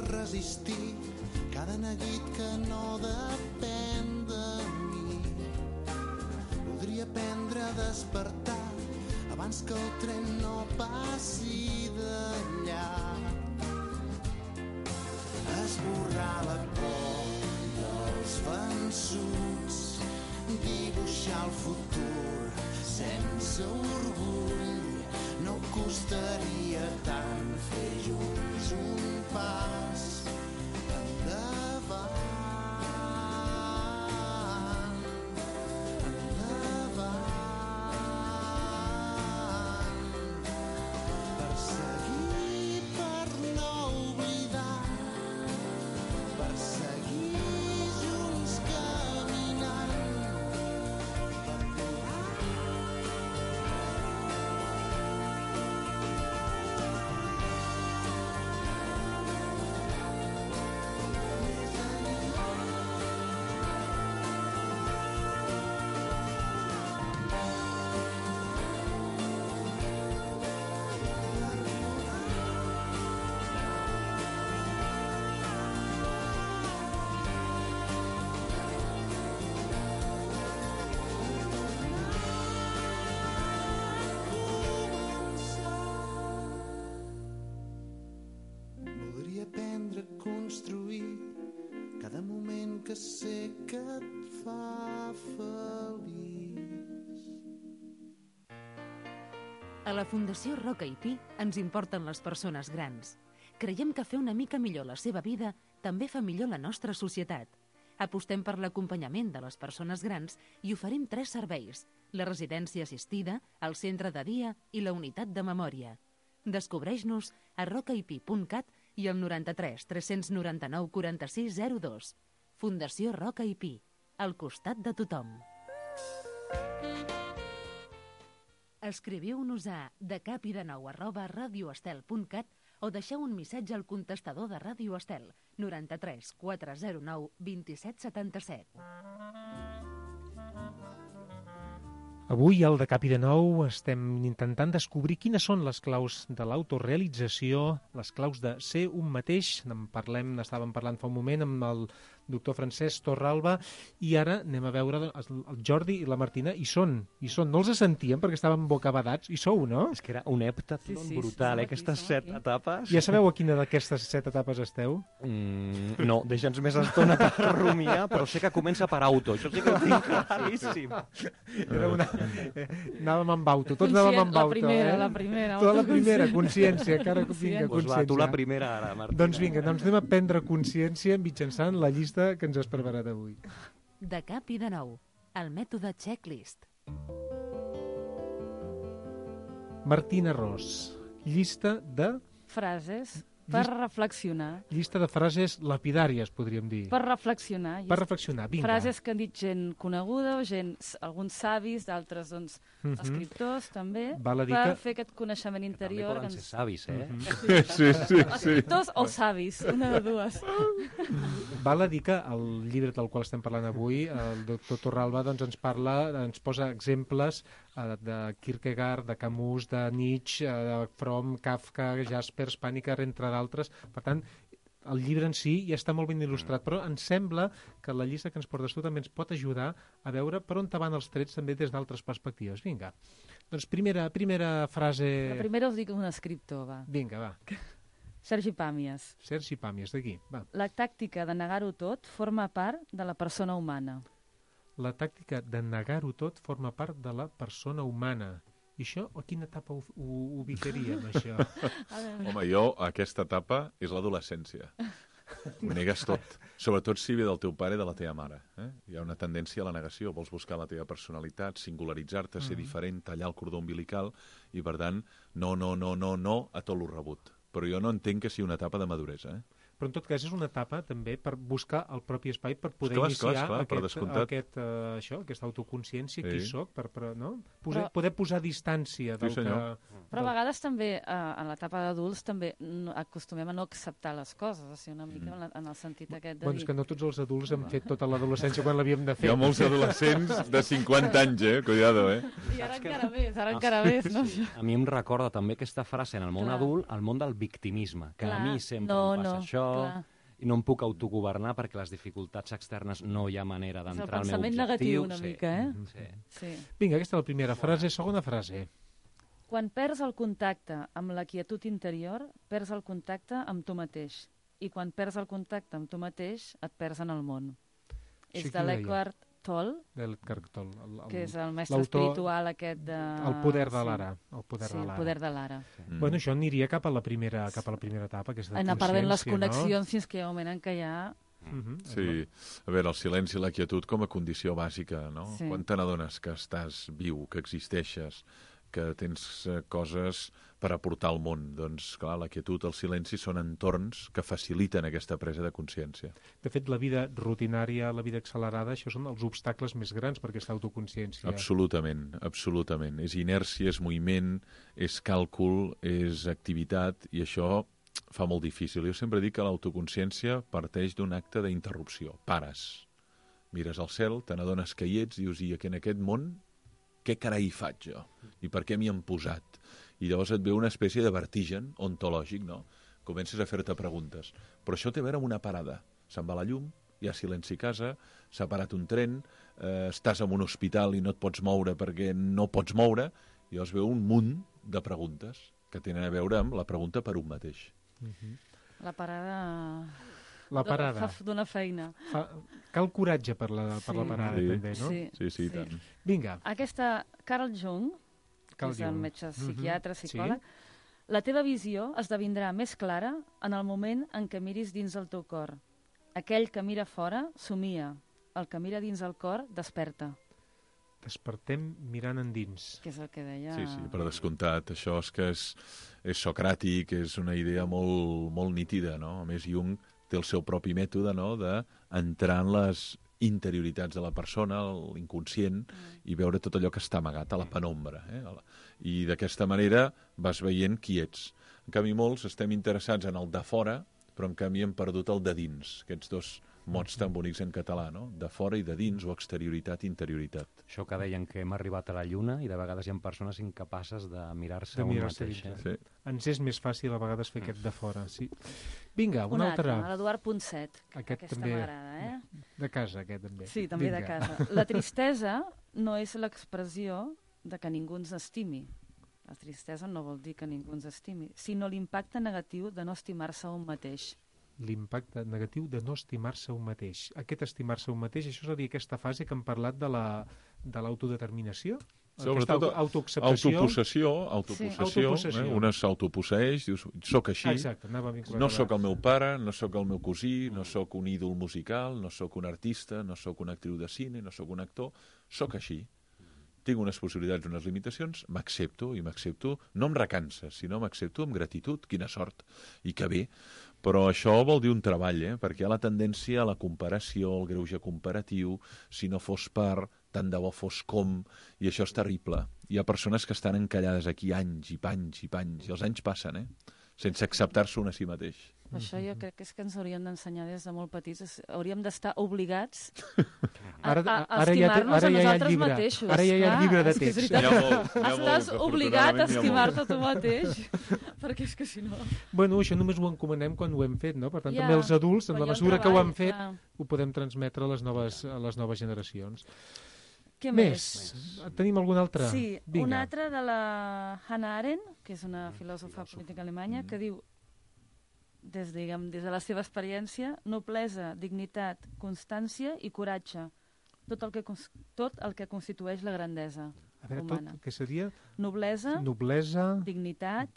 [SPEAKER 10] Resistir cada neguit que no depèn de mi. Podria aprendre a despertar abans que el tren no passi d'allà. Esborrar la por dels vençuts, dibuixar el futur sense orgull. No costaria tant fer junts un pas endavant, endavant. Perseguir per no oblidar, perseguir junts caminant. Aprendre a construir cada moment que sé que et fa feliç.
[SPEAKER 1] A la Fundació Roca i Pi ens importen les persones grans. Creiem que fer una mica millor la seva vida també fa millor la nostra societat. Apostem per l'acompanyament de les persones grans i oferim 3 serveis: la residència assistida, el centre de dia i la unitat de memòria. Descobreix-nos a rocaipi.cat i al 93 399 46 02. Fundació Roca i Pi, al costat de tothom. Escriviu-nos a decapidenou@radioestel.cat o deixeu un missatge al contestador de Ràdio Estel 93 409 27 77.
[SPEAKER 2] Avui, al De Cap i de Nou, estem intentant descobrir quines són les claus de l'autorealització, les claus de ser un mateix. Estàvem parlant fa un moment amb el doctor Francesc Torralba, i ara anem a veure el Jordi i la Martina, i són. No els sentíem perquè estaven bocabadats, i sou, no?
[SPEAKER 3] És que era un heptatlon brutal, aquestes 7 etapes.
[SPEAKER 2] Ja sabeu a quina d'aquestes 7 etapes esteu?
[SPEAKER 3] No, deixa'ns més estona per rumiar, però sé que comença per auto, això sí que ho tinc claríssim.
[SPEAKER 2] Anàvem amb auto, tots anàvem amb auto.
[SPEAKER 6] La primera.
[SPEAKER 2] Tota la primera, consciència, encara que vinga, consciència.
[SPEAKER 3] Va, tu la primera ara, Martina.
[SPEAKER 2] Doncs vinga, anem a prendre consciència mitjançant la llista que ens has preparat avui.
[SPEAKER 1] De Cap i de Nou, el mètode checklist.
[SPEAKER 2] Martina Ros, llista de...
[SPEAKER 6] Frases per reflexionar.
[SPEAKER 2] Llista de frases lapidàries, podríem dir.
[SPEAKER 6] Per reflexionar.
[SPEAKER 2] Per reflexionar, vinga.
[SPEAKER 6] Frases que han dit gent coneguda, o alguns savis, d'altres, doncs, escriptors, també, per fer aquest coneixement interior.
[SPEAKER 3] També poden ser savis, eh?
[SPEAKER 2] Sí.
[SPEAKER 6] Escriptors o savis, una de dues.
[SPEAKER 2] Val a dir que el llibre del qual estem parlant avui, el doctor Torralba, doncs ens posa exemples de Kierkegaard, de Camus, de Nietzsche, de Fromm, Kafka, Jaspers, Panikkar, entre d'altres. Per tant, el llibre en si ja està molt ben il·lustrat, però ens sembla que la llista que ens portes tu també ens pot ajudar a veure per on van els trets també des d'altres perspectives. Vinga, doncs primera frase...
[SPEAKER 6] La primera us dic un escriptor, va.
[SPEAKER 2] Vinga, va.
[SPEAKER 6] Sergi Pàmies.
[SPEAKER 2] Sergi Pàmies, d'aquí. Va.
[SPEAKER 6] La tàctica de negar-ho tot forma part de la persona humana.
[SPEAKER 2] La tàctica de negar-ho tot forma part de la persona humana. I això, a quina etapa ho ubicaríem, això?
[SPEAKER 5] Home, jo, aquesta etapa és l'adolescència. Ho negues tot. Sobretot si ve del teu pare i de la teva mare. Hi ha una tendència a la negació. Vols buscar la teva personalitat, singularitzar-te, ser diferent, tallar el cordó umbilical i, per tant, no a tot lo rebut. Però jo no entenc que sigui una etapa de maduresa.
[SPEAKER 2] Però en tot cas és una etapa també per buscar el propi espai per poder iniciar aquesta autoconsciència, qui soc, no? Poder posar distància del que...
[SPEAKER 6] Però a vegades també, en l'etapa d'adults, també acostumem a no acceptar les coses, o sigui, una mica en el sentit aquest de dir...
[SPEAKER 2] Doncs que no tots els adults hem fet tota l'adolescència quan l'havíem de fer.
[SPEAKER 5] Hi ha molts adolescents de 50 anys, cuidado,
[SPEAKER 6] I ara encara més, no?
[SPEAKER 3] A mi em recorda també aquesta frase en el món adult, el món del victimisme, que a mi sempre em passa això, i no em puc autogovernar perquè les dificultats externes no hi ha manera d'entrar al meu objectiu.
[SPEAKER 6] És el pensament negatiu una mica,
[SPEAKER 2] Sí. Vinga, aquesta és la primera frase. Segona frase.
[SPEAKER 6] Quan perds el contacte amb la quietud interior, perds el contacte amb tu mateix. I quan perds el contacte amb tu mateix, et perds en el món. És de l'Eckhart Tolle, que és el mestre espiritual aquest de...
[SPEAKER 2] El poder de l'ara.
[SPEAKER 6] El poder de l'ara.
[SPEAKER 2] Bueno, això aniria cap a la primera etapa, aquesta
[SPEAKER 6] anar perdent les connexions fins que hi ha un moment en què ja...
[SPEAKER 5] Sí, a veure, el silenci i la quietud com a condició bàsica, no? Quan te n'adones que estàs viu, que existeixes, que tens coses per aportar al món. Doncs, clar, la quietud, el silenci són entorns que faciliten aquesta presa de consciència.
[SPEAKER 2] De fet, la vida rutinària, la vida accelerada, això són els obstacles més grans per aquesta autoconsciència.
[SPEAKER 5] Absolutament, absolutament. És inèrcia, és moviment, és càlcul, és activitat, i això fa molt difícil. Jo sempre dic que l'autoconsciència parteix d'un acte d'interrupció. Pares, mires al cel, te n'adones que hi ets, dius, i en aquest món què carai faig jo? I per què m'hi han posat? I llavors et ve una espècie de vertigen ontològic, no? Comences a fer-te preguntes. Però això té a veure amb una parada. Se'n va la llum, hi ha silenci a casa, s'ha parat un tren, estàs en un hospital i no et pots moure perquè no pots moure, i llavors veu un munt de preguntes que tenen a veure amb la pregunta per un mateix.
[SPEAKER 6] La parada...
[SPEAKER 2] La parada.
[SPEAKER 6] D'una feina.
[SPEAKER 2] Cal coratge per la parada, també, no?
[SPEAKER 5] Sí, tant.
[SPEAKER 2] Vinga.
[SPEAKER 6] Aquesta Carl Jung, que és el metge psiquiatre, psicòleg, la teva visió esdevindrà més clara en el moment en què miris dins el teu cor. Aquell que mira fora somia, el que mira dins el cor desperta.
[SPEAKER 2] Despertem mirant endins.
[SPEAKER 6] Que és el que deia...
[SPEAKER 5] Sí, per descomptat. Això és que és socràtic, és una idea molt nítida, no? A més, Jung té el seu propi mètode, no?, d'entrar en les interioritats de la persona, l'inconscient, i veure tot allò que està amagat a la penombra. I d'aquesta manera vas veient qui ets. En canvi, molts estem interessats en el de fora, però en canvi hem perdut el de dins, aquests dos mots tan bonics en català, no? De fora i de dins, o exterioritat i interioritat.
[SPEAKER 3] Això que deien que hem arribat a la Lluna i de vegades hi ha persones incapaces de mirar-se un mateix.
[SPEAKER 2] Sí. Ens és més fàcil a vegades fer aquest de fora, sí. Vinga, una altra.
[SPEAKER 6] L'Eduard Ponset. Aquesta
[SPEAKER 2] també
[SPEAKER 6] m'agrada,
[SPEAKER 2] De casa, aquest també.
[SPEAKER 6] Sí, també de casa. La tristesa no és l'expressió de que ningú ens estimi. La tristesa no vol dir que ningú ens estimi, sinó l'impacte negatiu de no estimar-se un mateix.
[SPEAKER 2] L'impacte negatiu de no estimar-se un mateix. Aquest estimar-se un mateix, això és a dir, aquesta fase que hem parlat de l'autodeterminació?
[SPEAKER 5] Sobretot autopossessió. Una s'autoposseix, dius, soc així, no sóc el meu pare, no sóc el meu cosí, no sóc un ídol musical, no sóc un artista, no sóc una actriu de cine, no sóc un actor, sóc així. Tinc unes possibilitats, unes limitacions, m'accepto, i m'accepto, no em recansa, sinó m'accepto amb gratitud, quina sort, i que bé. Però això vol dir un treball, perquè hi ha la tendència a la comparació, al greuge comparatiu, si no fos per, tant de bo fos com, i això és terrible. Hi ha persones que estan encallades aquí anys i panys i panys, i els anys passen, sense acceptar-se un a si mateix.
[SPEAKER 6] Això jo crec que és que ens haurien d'ensenyar des de molt petits. Hauríem d'estar obligats a estimar-nos a nosaltres mateixos.
[SPEAKER 2] Ara ja hi ha el llibre de text.
[SPEAKER 6] Estàs obligat a estimar-te tu mateix, perquè és que si no...
[SPEAKER 2] Bueno, això només ho encomanem quan ho hem fet, no? Per tant, també els adults, en la mesura que ho han fet, ho podem transmetre a les noves generacions.
[SPEAKER 6] Què més?
[SPEAKER 2] Tenim alguna altra?
[SPEAKER 6] Sí, una altra de la Hannah Arendt, que és una filòsofa política alemanya, que diu: des de la seva experiència, noblesa, dignitat, constància i coratge. Tot el que constitueix la grandesa humana.
[SPEAKER 2] Tot, què seria?
[SPEAKER 6] Noblesa, dignitat,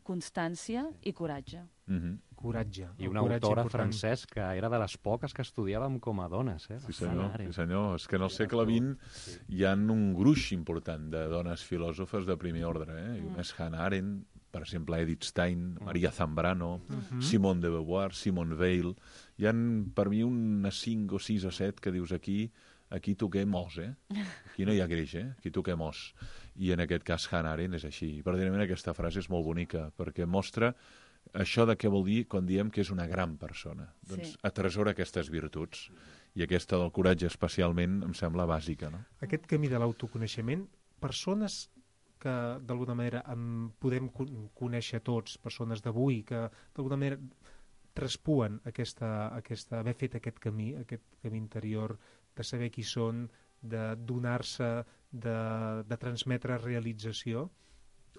[SPEAKER 6] constància i coratge.
[SPEAKER 2] Coratge.
[SPEAKER 3] I una autora, Francesc, que era de les poques que estudiàvem com a dones.
[SPEAKER 5] Sí, senyor. És que en el segle XX hi ha un gruix important de dones filòsofes de primer ordre. Una és Hannah Arendt, per exemple, Edith Stein, Maria Zambrano, Simone de Beauvoir, Simone Weil. Hi ha, per mi, unes 5 o 6 o 7 que dius aquí toquem os, Aquí no hi ha greix, Aquí toquem os. I en aquest cas Hannah Arendt és així. Verdaderament aquesta frase és molt bonica, perquè mostra això de què vol dir quan diem que és una gran persona. Doncs atresora aquestes virtuts. I aquesta del coratge especialment em sembla bàsica, no?
[SPEAKER 2] Aquest camí de l'autoconeixement, persones que d'alguna manera podem conèixer tots, persones d'avui, que d'alguna manera traspuen haver fet aquest camí interior, de saber qui són, de donar-se, de transmetre realització.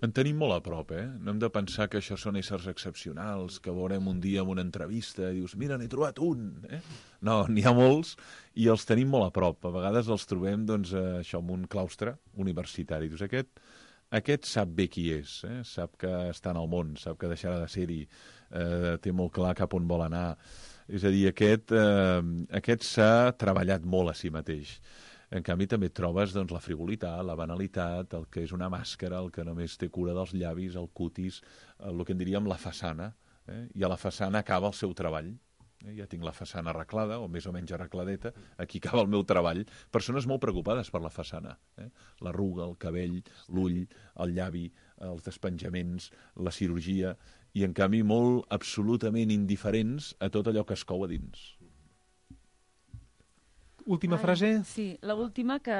[SPEAKER 5] En tenim molt a prop, No hem de pensar que això són éssers excepcionals, que veurem un dia en una entrevista i dius, mira, n'he trobat un, No, n'hi ha molts i els tenim molt a prop. A vegades els trobem, doncs, això, en un claustre universitari. Dius, aquest sap bé qui és, sap que està en el món, sap que deixarà de ser-hi, té molt clar cap on vol anar. És a dir, aquest s'ha treballat molt a si mateix. En canvi, també trobes doncs, la frivolitat, la banalitat, el que és una màscara, el que només té cura dels llavis, el cutis, el que en diríem la façana. I a la façana acaba el seu treball. Ja tinc la façana arreglada, o més o menys arregladeta, aquí acaba el meu treball. Persones molt preocupades per la façana. L'arruga, el cabell, l'ull, el llavi, els despenjaments, la cirurgia, i en canvi molt absolutament indiferents a tot allò que es cou a dins.
[SPEAKER 2] Última frase?
[SPEAKER 6] Sí, l'última que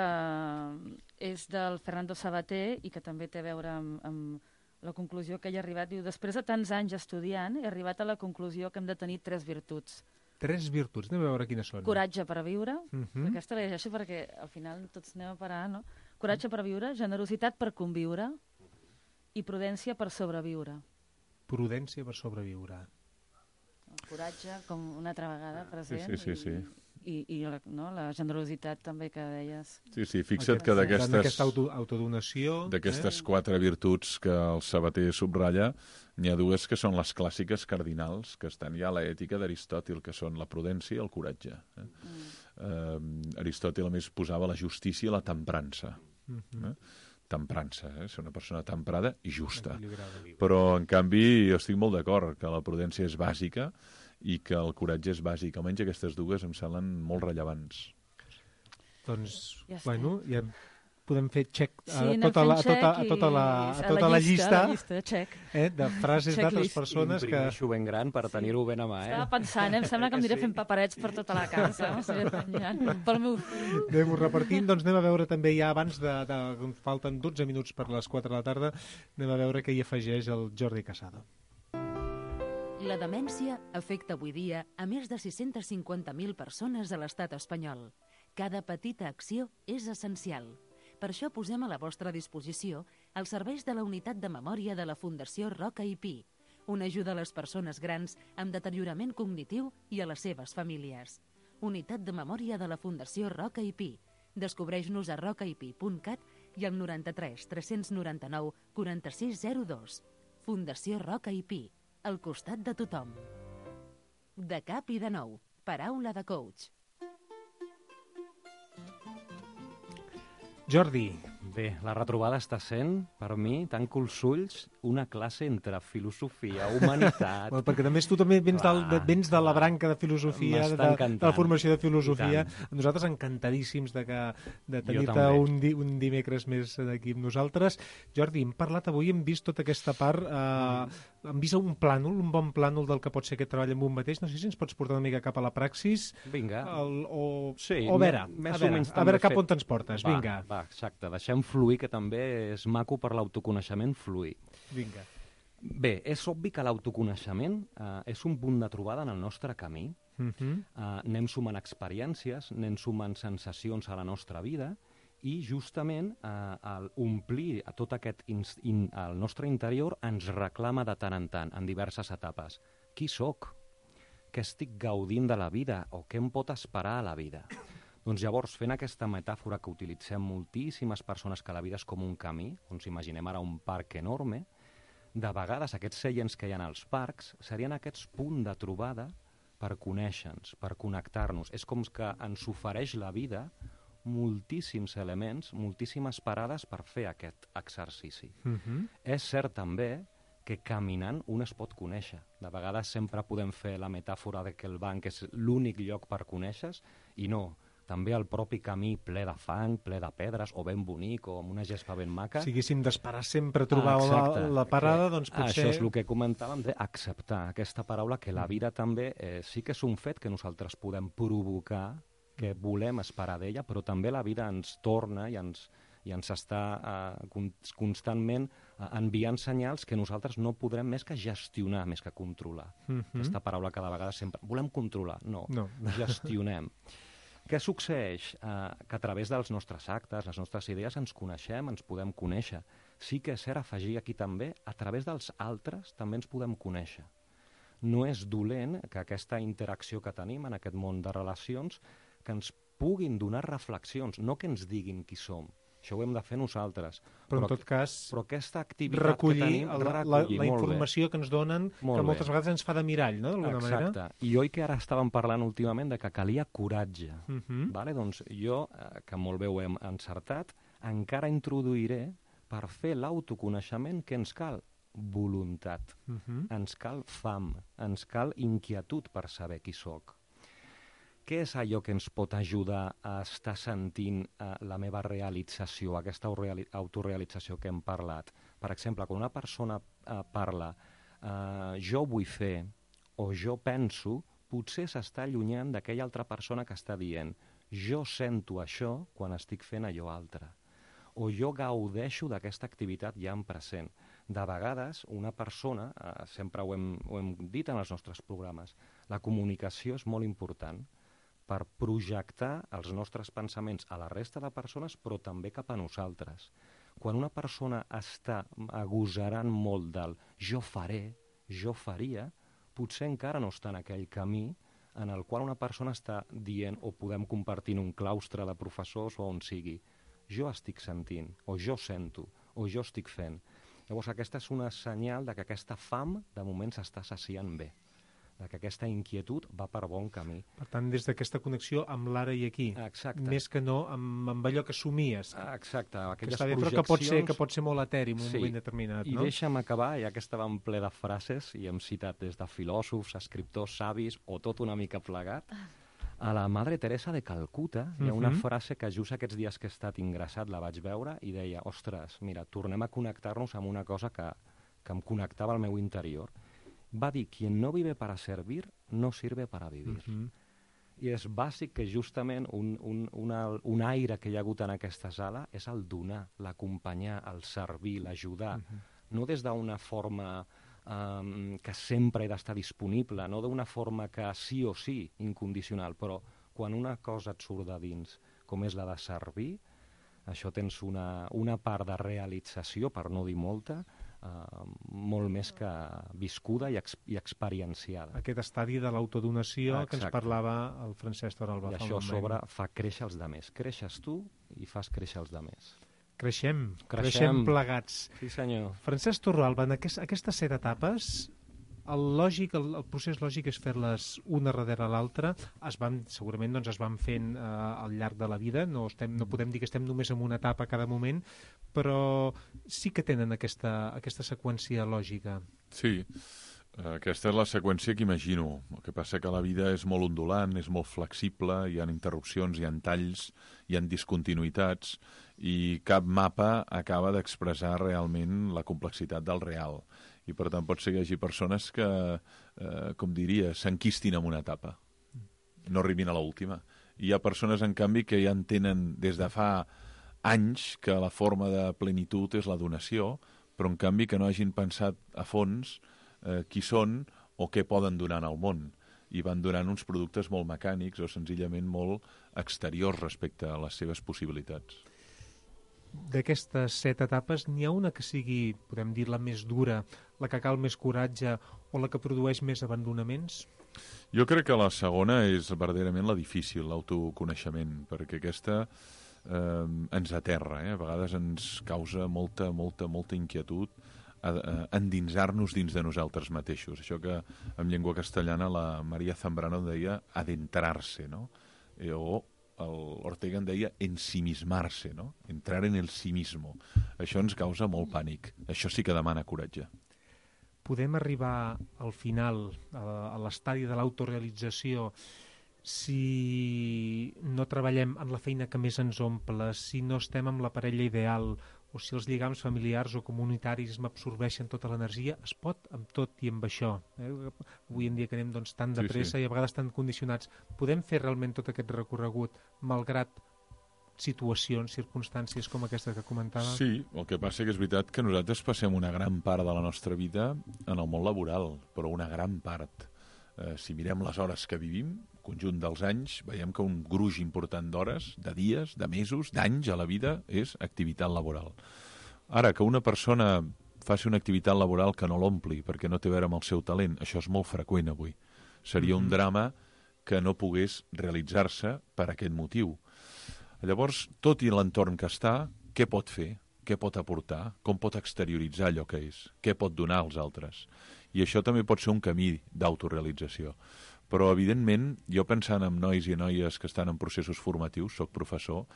[SPEAKER 6] és del Fernando Sabater i que també té a veure amb la conclusió que ell ha arribat. Diu, després de tants anys estudiant, he arribat a la conclusió que hem de tenir 3 virtuts.
[SPEAKER 2] 3 virtuts, anem a veure quines són.
[SPEAKER 6] Coratge per a viure, aquesta la llegeixo perquè al final tots anem a parar, no? Coratge per a viure, generositat per conviure i prudència per sobreviure.
[SPEAKER 2] Prudència per sobreviure.
[SPEAKER 6] El coratge, com una altra vegada present.
[SPEAKER 5] Sí.
[SPEAKER 6] I la generositat també que deies.
[SPEAKER 5] Sí, fixa't que
[SPEAKER 2] d'aquesta autodonació...
[SPEAKER 5] D'aquestes 4 virtuts que el Sabater subratlla, n'hi ha 2 que són les clàssiques cardinals, que estan ja a l'ètica d'Aristòtil, que són la prudència i el coratge. Aristòtil, a més, posava la justícia i la temprança. Temprança, ser una persona temprada i justa. Però, en canvi, jo estic molt d'acord que la prudència és bàsica i que el coratge és bàsic. Almenys aquestes 2 em semblen molt rellevants.
[SPEAKER 2] Doncs, ja podem fer check a tota la llista de frases d'altres persones que...
[SPEAKER 3] Imprimeixo ben gran per tenir-ho ben a mà.
[SPEAKER 6] Estava pensant, em sembla que em diré fent paperets per tota la casa. Pel meu fill.
[SPEAKER 2] Anem-ho repartint. Doncs anem a veure també ja abans falten 12 minuts per les 4 de la tarda, anem a veure què hi afegeix el Jordi Casado.
[SPEAKER 1] La demència afecta avui dia a més de 650.000 persones a l'estat espanyol. Cada petita acció és essencial. Per això posem a la vostra disposició els serveis de la Unitat de Memòria de la Fundació Roca i Pi, una ajuda a les persones grans amb deteriorament cognitiu i a les seves famílies. Unitat de Memòria de la Fundació Roca i Pi. Descobreix-nos a rocaipi.cat i al 93 399 4602. Fundació Roca i Pi. Al costat de tothom. De cap i de nou. Paraula de coach.
[SPEAKER 2] Jordi.
[SPEAKER 3] Bé, la retrobada està sent, per mi, tanco els ulls, una classe entre filosofia, humanitat...
[SPEAKER 2] Perquè també tu també vens de la branca de filosofia, de la formació de filosofia. Nosaltres encantadíssims de tenir-te un dimecres més aquí amb nosaltres. Jordi, hem parlat avui, hem vist tota aquesta part, hem vist un bon plànol del que pot ser aquest treball amb un mateix. No sé si ens pots portar una mica cap a la praxis.
[SPEAKER 3] Vinga.
[SPEAKER 2] O a veure cap on te'ns portes. Vinga.
[SPEAKER 3] Va, exacte. Deixem fluir, que també és maco per l'autoconeixement fluir.
[SPEAKER 2] Vinga.
[SPEAKER 3] Bé, és obvi que l'autoconeixement és un punt de trobada en el nostre camí. Anem sumant experiències, anem sumant sensacions a la nostra vida i justament omplir tot aquest el nostre interior ens reclama de tant en tant, en diverses etapes. qui sóc? Què estic gaudint de la vida? O què em pot esperar a la vida? Doncs llavors, fent aquesta metàfora que utilitzem moltíssimes persones, que la vida és com un camí, on s'imaginem ara un parc enorme, de vegades aquests seients que hi ha als parcs serien aquests punts de trobada per conèixer-nos, per connectar-nos. És com que ens ofereix la vida moltíssims elements, moltíssimes parades per fer aquest exercici. És cert també que caminant un es pot conèixer. De vegades sempre podem fer la metàfora de que el banc és l'únic lloc per conèixer-se, i no. També el propi camí ple de fang, ple de pedres, o ben bonic, o amb una gespa ben maca.
[SPEAKER 2] Si haguéssim d'esperar sempre a trobar la parada, doncs potser...
[SPEAKER 3] Això és el que comentàvem d'acceptar aquesta paraula, que la vida també sí que és un fet que nosaltres podem provocar, que volem esperar d'ella, però també la vida ens torna i ens està constantment enviant senyals que nosaltres no podrem més que gestionar, més que controlar. Aquesta paraula que de vegades sempre... Volem controlar, no. Gestionem. Què succeeix? Que a través dels nostres actes, les nostres idees, ens coneixem, ens podem conèixer. Sí que és cert afegir aquí també, a través dels altres també ens podem conèixer. No és dolent que aquesta interacció que tenim en aquest món de relacions que ens puguin donar reflexions, no que ens diguin qui som. Això ho hem de fer nosaltres.
[SPEAKER 2] Però en tot cas,
[SPEAKER 3] però aquesta activitat que tenim,
[SPEAKER 2] la informació que ens donen, que moltes vegades ens fa de mirall, no?, d'alguna manera.
[SPEAKER 3] Exacte. I oi que ara estàvem parlant últimament de que calia coratge. Vale? Doncs jo, que molt bé ho hem encertat, encara introduiré per fer l'autoconeixement que ens cal voluntat, ens cal fam, ens cal inquietud per saber qui sóc. Què és allò que ens pot ajudar a estar sentint la meva realització, aquesta autorealització que hem parlat? Per exemple, quan una persona parla jo vull fer o jo penso, potser s'està allunyant d'aquella altra persona que està dient jo sento això quan estic fent allò altre. O jo gaudeixo d'aquesta activitat ja en present. De vegades, una persona, sempre ho hem dit en els nostres programes, la comunicació és molt important per projectar els nostres pensaments a la resta de persones, però també cap a nosaltres. Quan una persona està agosarant molt del jo faré, jo faria, potser encara no està en aquell camí en el qual una persona està dient, o podem compartir en un claustre de professors o on sigui, jo estic sentint, o jo sento, o jo estic fent. Llavors aquesta és una senyal de que aquesta fam de moment s'està saciant bé, de que aquesta inquietud va per bon camí.
[SPEAKER 2] Per tant, des d'aquesta connexió amb l'ara i aquí.
[SPEAKER 3] Exacte.
[SPEAKER 2] Més que no amb allò que somies.
[SPEAKER 3] Exacte, aquelles
[SPEAKER 2] projeccions... Però que pot ser molt eteri en un moment determinat, no?
[SPEAKER 3] I deixa'm acabar, ja que estàvem ple de frases, i hem citat des de filòsofs, escriptors, savis, o tot una mica plegat, a la Madre Teresa de Calcuta hi ha una frase que just aquests dies que he estat ingressat la vaig veure i deia, ostres, mira, tornem a connectar-nos amb una cosa que em connectava al meu interior. Va dir, quien no vive para servir, no sirve para vivir. I és bàsic que justament un aire que hi ha hagut en aquesta sala és el donar, l'acompanyar, el servir, l'ajudar. No des d'una forma que sempre he d'estar disponible, no d'una forma que sí o sí, incondicional, però quan una cosa et surt de dins, com és la de servir, això tens una part de realització, per no dir molta, molt més que viscuda i experienciada.
[SPEAKER 2] Aquest estadi de l'autodonació que ens parlava el Francesc Toralba.
[SPEAKER 3] I això a sobre fa créixer els demés. Creixes tu i fas créixer els demés.
[SPEAKER 2] Creixem plegats.
[SPEAKER 3] Sí, senyor.
[SPEAKER 2] Francesc Torralba, en aquestes 7 etapes, el procés lògic és fer-les una darrere l'altra. Segurament es van fent al llarg de la vida, no podem dir que estem només en una etapa a cada moment, però sí que tenen aquesta seqüència lògica.
[SPEAKER 5] Sí, aquesta és la seqüència que imagino. El que passa que la vida és molt ondulant, és molt flexible, hi ha interrupcions, hi ha talls, hi ha discontinuïtats, i cap mapa acaba d'expressar realment la complexitat del real. I per tant pot ser que hi hagi persones que, com diria, s'enquistin en una etapa, no arribin a l'última. I hi ha persones, en canvi, que ja entenen des de fa anys que la forma de plenitud és la donació, però en canvi que no hagin pensat a fons qui són o què poden donar al món. I van donant uns productes molt mecànics o senzillament molt exteriors respecte a les seves possibilitats.
[SPEAKER 2] d'aquestes 7 etapes n'hi ha una que sigui, podem dir, la més dura, la que cal més coratge o la que produeix més abandonaments?
[SPEAKER 5] Jo crec que la segona és verdaderament la difícil, l'autoconeixement, perquè aquesta ens aterra, a vegades ens causa molta inquietud endinsar-nos dins de nosaltres mateixos. Això que en llengua castellana la Maria Zambrano deia adentrar-se, no? O Ortega en deia ensimismar-se, no? Entrar en el sí mismo. Això ens causa molt pànic. Això sí que demana coratge.
[SPEAKER 2] Podem arribar al final, a l'estadi de l'autorealització, si no treballem en la feina que més ens omple, si no estem amb la parella ideal, o si els lligams familiars o comunitaris m'absorbeixen tota l'energia, es pot amb tot i amb això. Avui en dia que anem tan de pressa i a vegades tan condicionats. Podem fer realment tot aquest recorregut malgrat situacions, circumstàncies com aquesta que comentava?
[SPEAKER 5] Sí, el que passa que és veritat que nosaltres passem una gran part de la nostra vida en el món laboral, però una gran part. Si mirem les hores que vivim, conjunt dels anys, veiem que un gruix important d'hores, de dies, de mesos, d'anys a la vida és activitat laboral. Ara, que una persona faci una activitat laboral que no l'ompli perquè no té a veure amb el seu talent, això és molt freqüent avui. Seria un drama que no pogués realitzar-se per aquest motiu. Llavors, tot i l'entorn que està, què pot fer? Què pot aportar? Com pot exterioritzar allò que és? Què pot donar als altres? I això també pot ser un camí d'autorealització. Però, evidentment, jo pensant en nois i noies que estan en processos formatius, soc professor,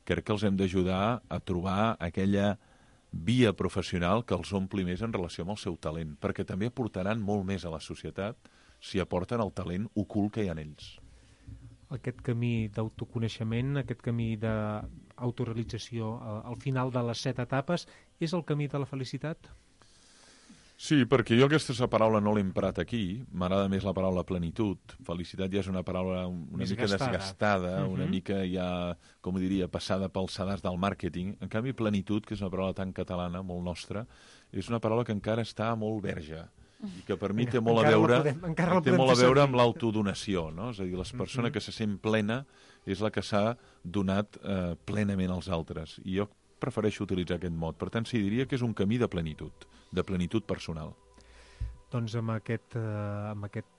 [SPEAKER 5] crec que els hem d'ajudar a trobar aquella via professional que els ompli més en relació amb el seu talent, perquè també aportaran molt més a la societat si aporten el talent ocult que hi ha en ells.
[SPEAKER 2] Aquest camí d'autoconeixement, aquest camí d'autorealització, al final de les 7 etapes, és el camí de la felicitat?
[SPEAKER 5] Sí, perquè jo aquesta paraula no l'he emprat aquí, m'agrada més la paraula plenitud. Felicitat ja és una paraula una mica desgastada, una mica ja, com ho diria, passada pels sedars del màrqueting. En canvi, plenitud, que és una paraula tan catalana, molt nostra, és una paraula que encara està molt verge i que per mi té molt a veure amb l'autodonació, no? És a dir, la persona que se sent plena és la que s'ha donat plenament als altres. I jo prefereixo utilitzar aquest mot. Per tant, sí, diria que és un camí de plenitud personal.
[SPEAKER 2] Doncs amb aquest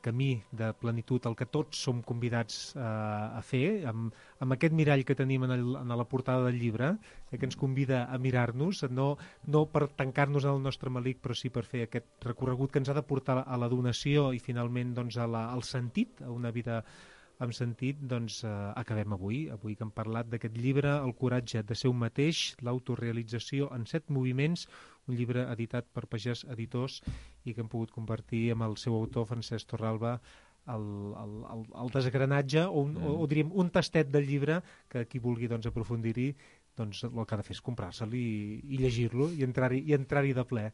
[SPEAKER 2] camí de plenitud, el que tots som convidats a fer, amb aquest mirall que tenim en la portada del llibre, que ens convida a mirar-nos, no per tancar-nos en el nostre melic, però sí per fer aquest recorregut que ens ha de portar a la donació i finalment al sentit, a una vida amb sentit, doncs acabem avui que hem parlat d'aquest llibre, El coratge de ser un mateix, l'autorealització en 7 moviments, un llibre editat per Pagès Editors i que hem pogut compartir amb el seu autor, Francesc Torralba, el desgranatge o diríem un tastet del llibre que qui vulgui aprofundir-hi, doncs el que ha de fer és comprar-se'l i llegir-lo i entrar-hi de ple.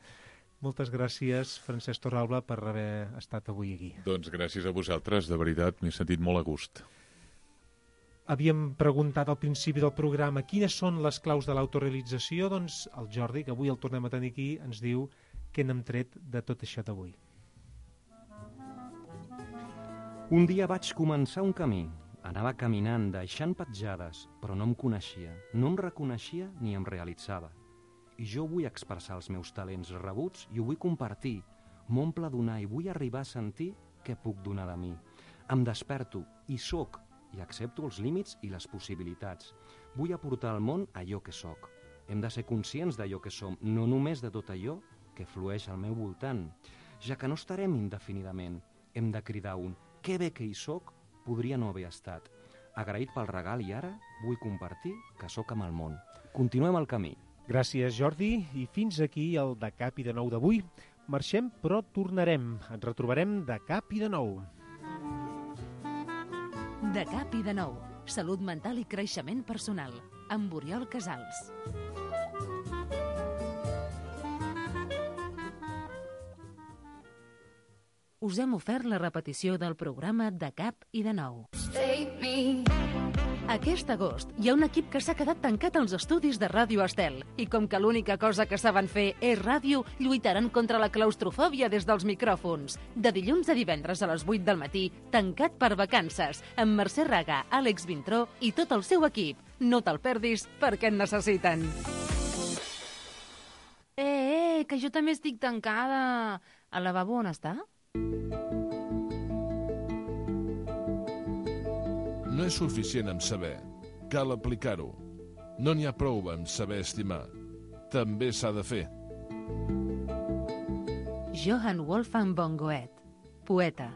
[SPEAKER 2] Moltes gràcies, Francesc Torralba, per haver estat avui aquí.
[SPEAKER 5] Doncs gràcies a vosaltres, de veritat, m'he sentit molt a gust.
[SPEAKER 2] Havíem preguntat al principi del programa quines són les claus de l'autorealització, doncs el Jordi, que avui el tornem a tenir aquí, ens diu què n'hem tret de tot això d'avui.
[SPEAKER 3] Un dia vaig començar un camí. Anava caminant, deixant petjades, però no em coneixia, no em reconeixia ni em realitzava. I jo vull expressar els meus talents rebuts i ho vull compartir. M'omple donar i vull arribar a sentir què puc donar de mi. Em desperto i sóc i accepto els límits i les possibilitats. Vull aportar al món allò que sóc. Hem de ser conscients d'allò que som, no només de tot allò que flueix al meu voltant. Ja que no estarem indefinidament, hem de cridar un «que bé que hi sóc» podria no haver estat. Agraït pel regal i ara vull compartir que sóc amb el món. Continuem el camí.
[SPEAKER 2] Gràcies, Jordi, i fins aquí el De Cap i de Nou d'avui. Marxem, però tornarem. Ens retrobarem de cap i de nou.
[SPEAKER 1] De Cap i de Nou. Salut mental i creixement personal. Amb Oriol Casals. Us hem ofert la repetició del programa De Cap i de Nou. Aquest agost hi ha un equip que s'ha quedat tancat als estudis de Ràdio Estel i com que l'única cosa que saben fer és ràdio, lluitaran contra la claustrofòbia des dels micròfons. De dilluns a divendres a les 8 del matí, tancat per vacances, amb Mercè Raga, Àlex Vintró i tot el seu equip. No te'l perdis perquè en necessiten.
[SPEAKER 11] que jo també estic tancada. Al lavabo on està?
[SPEAKER 12] No és suficient amb saber, cal aplicar-ho. No n'hi ha prou amb saber estimar. També s'ha de fer.
[SPEAKER 1] Johann Wolfgang von Goethe, poeta.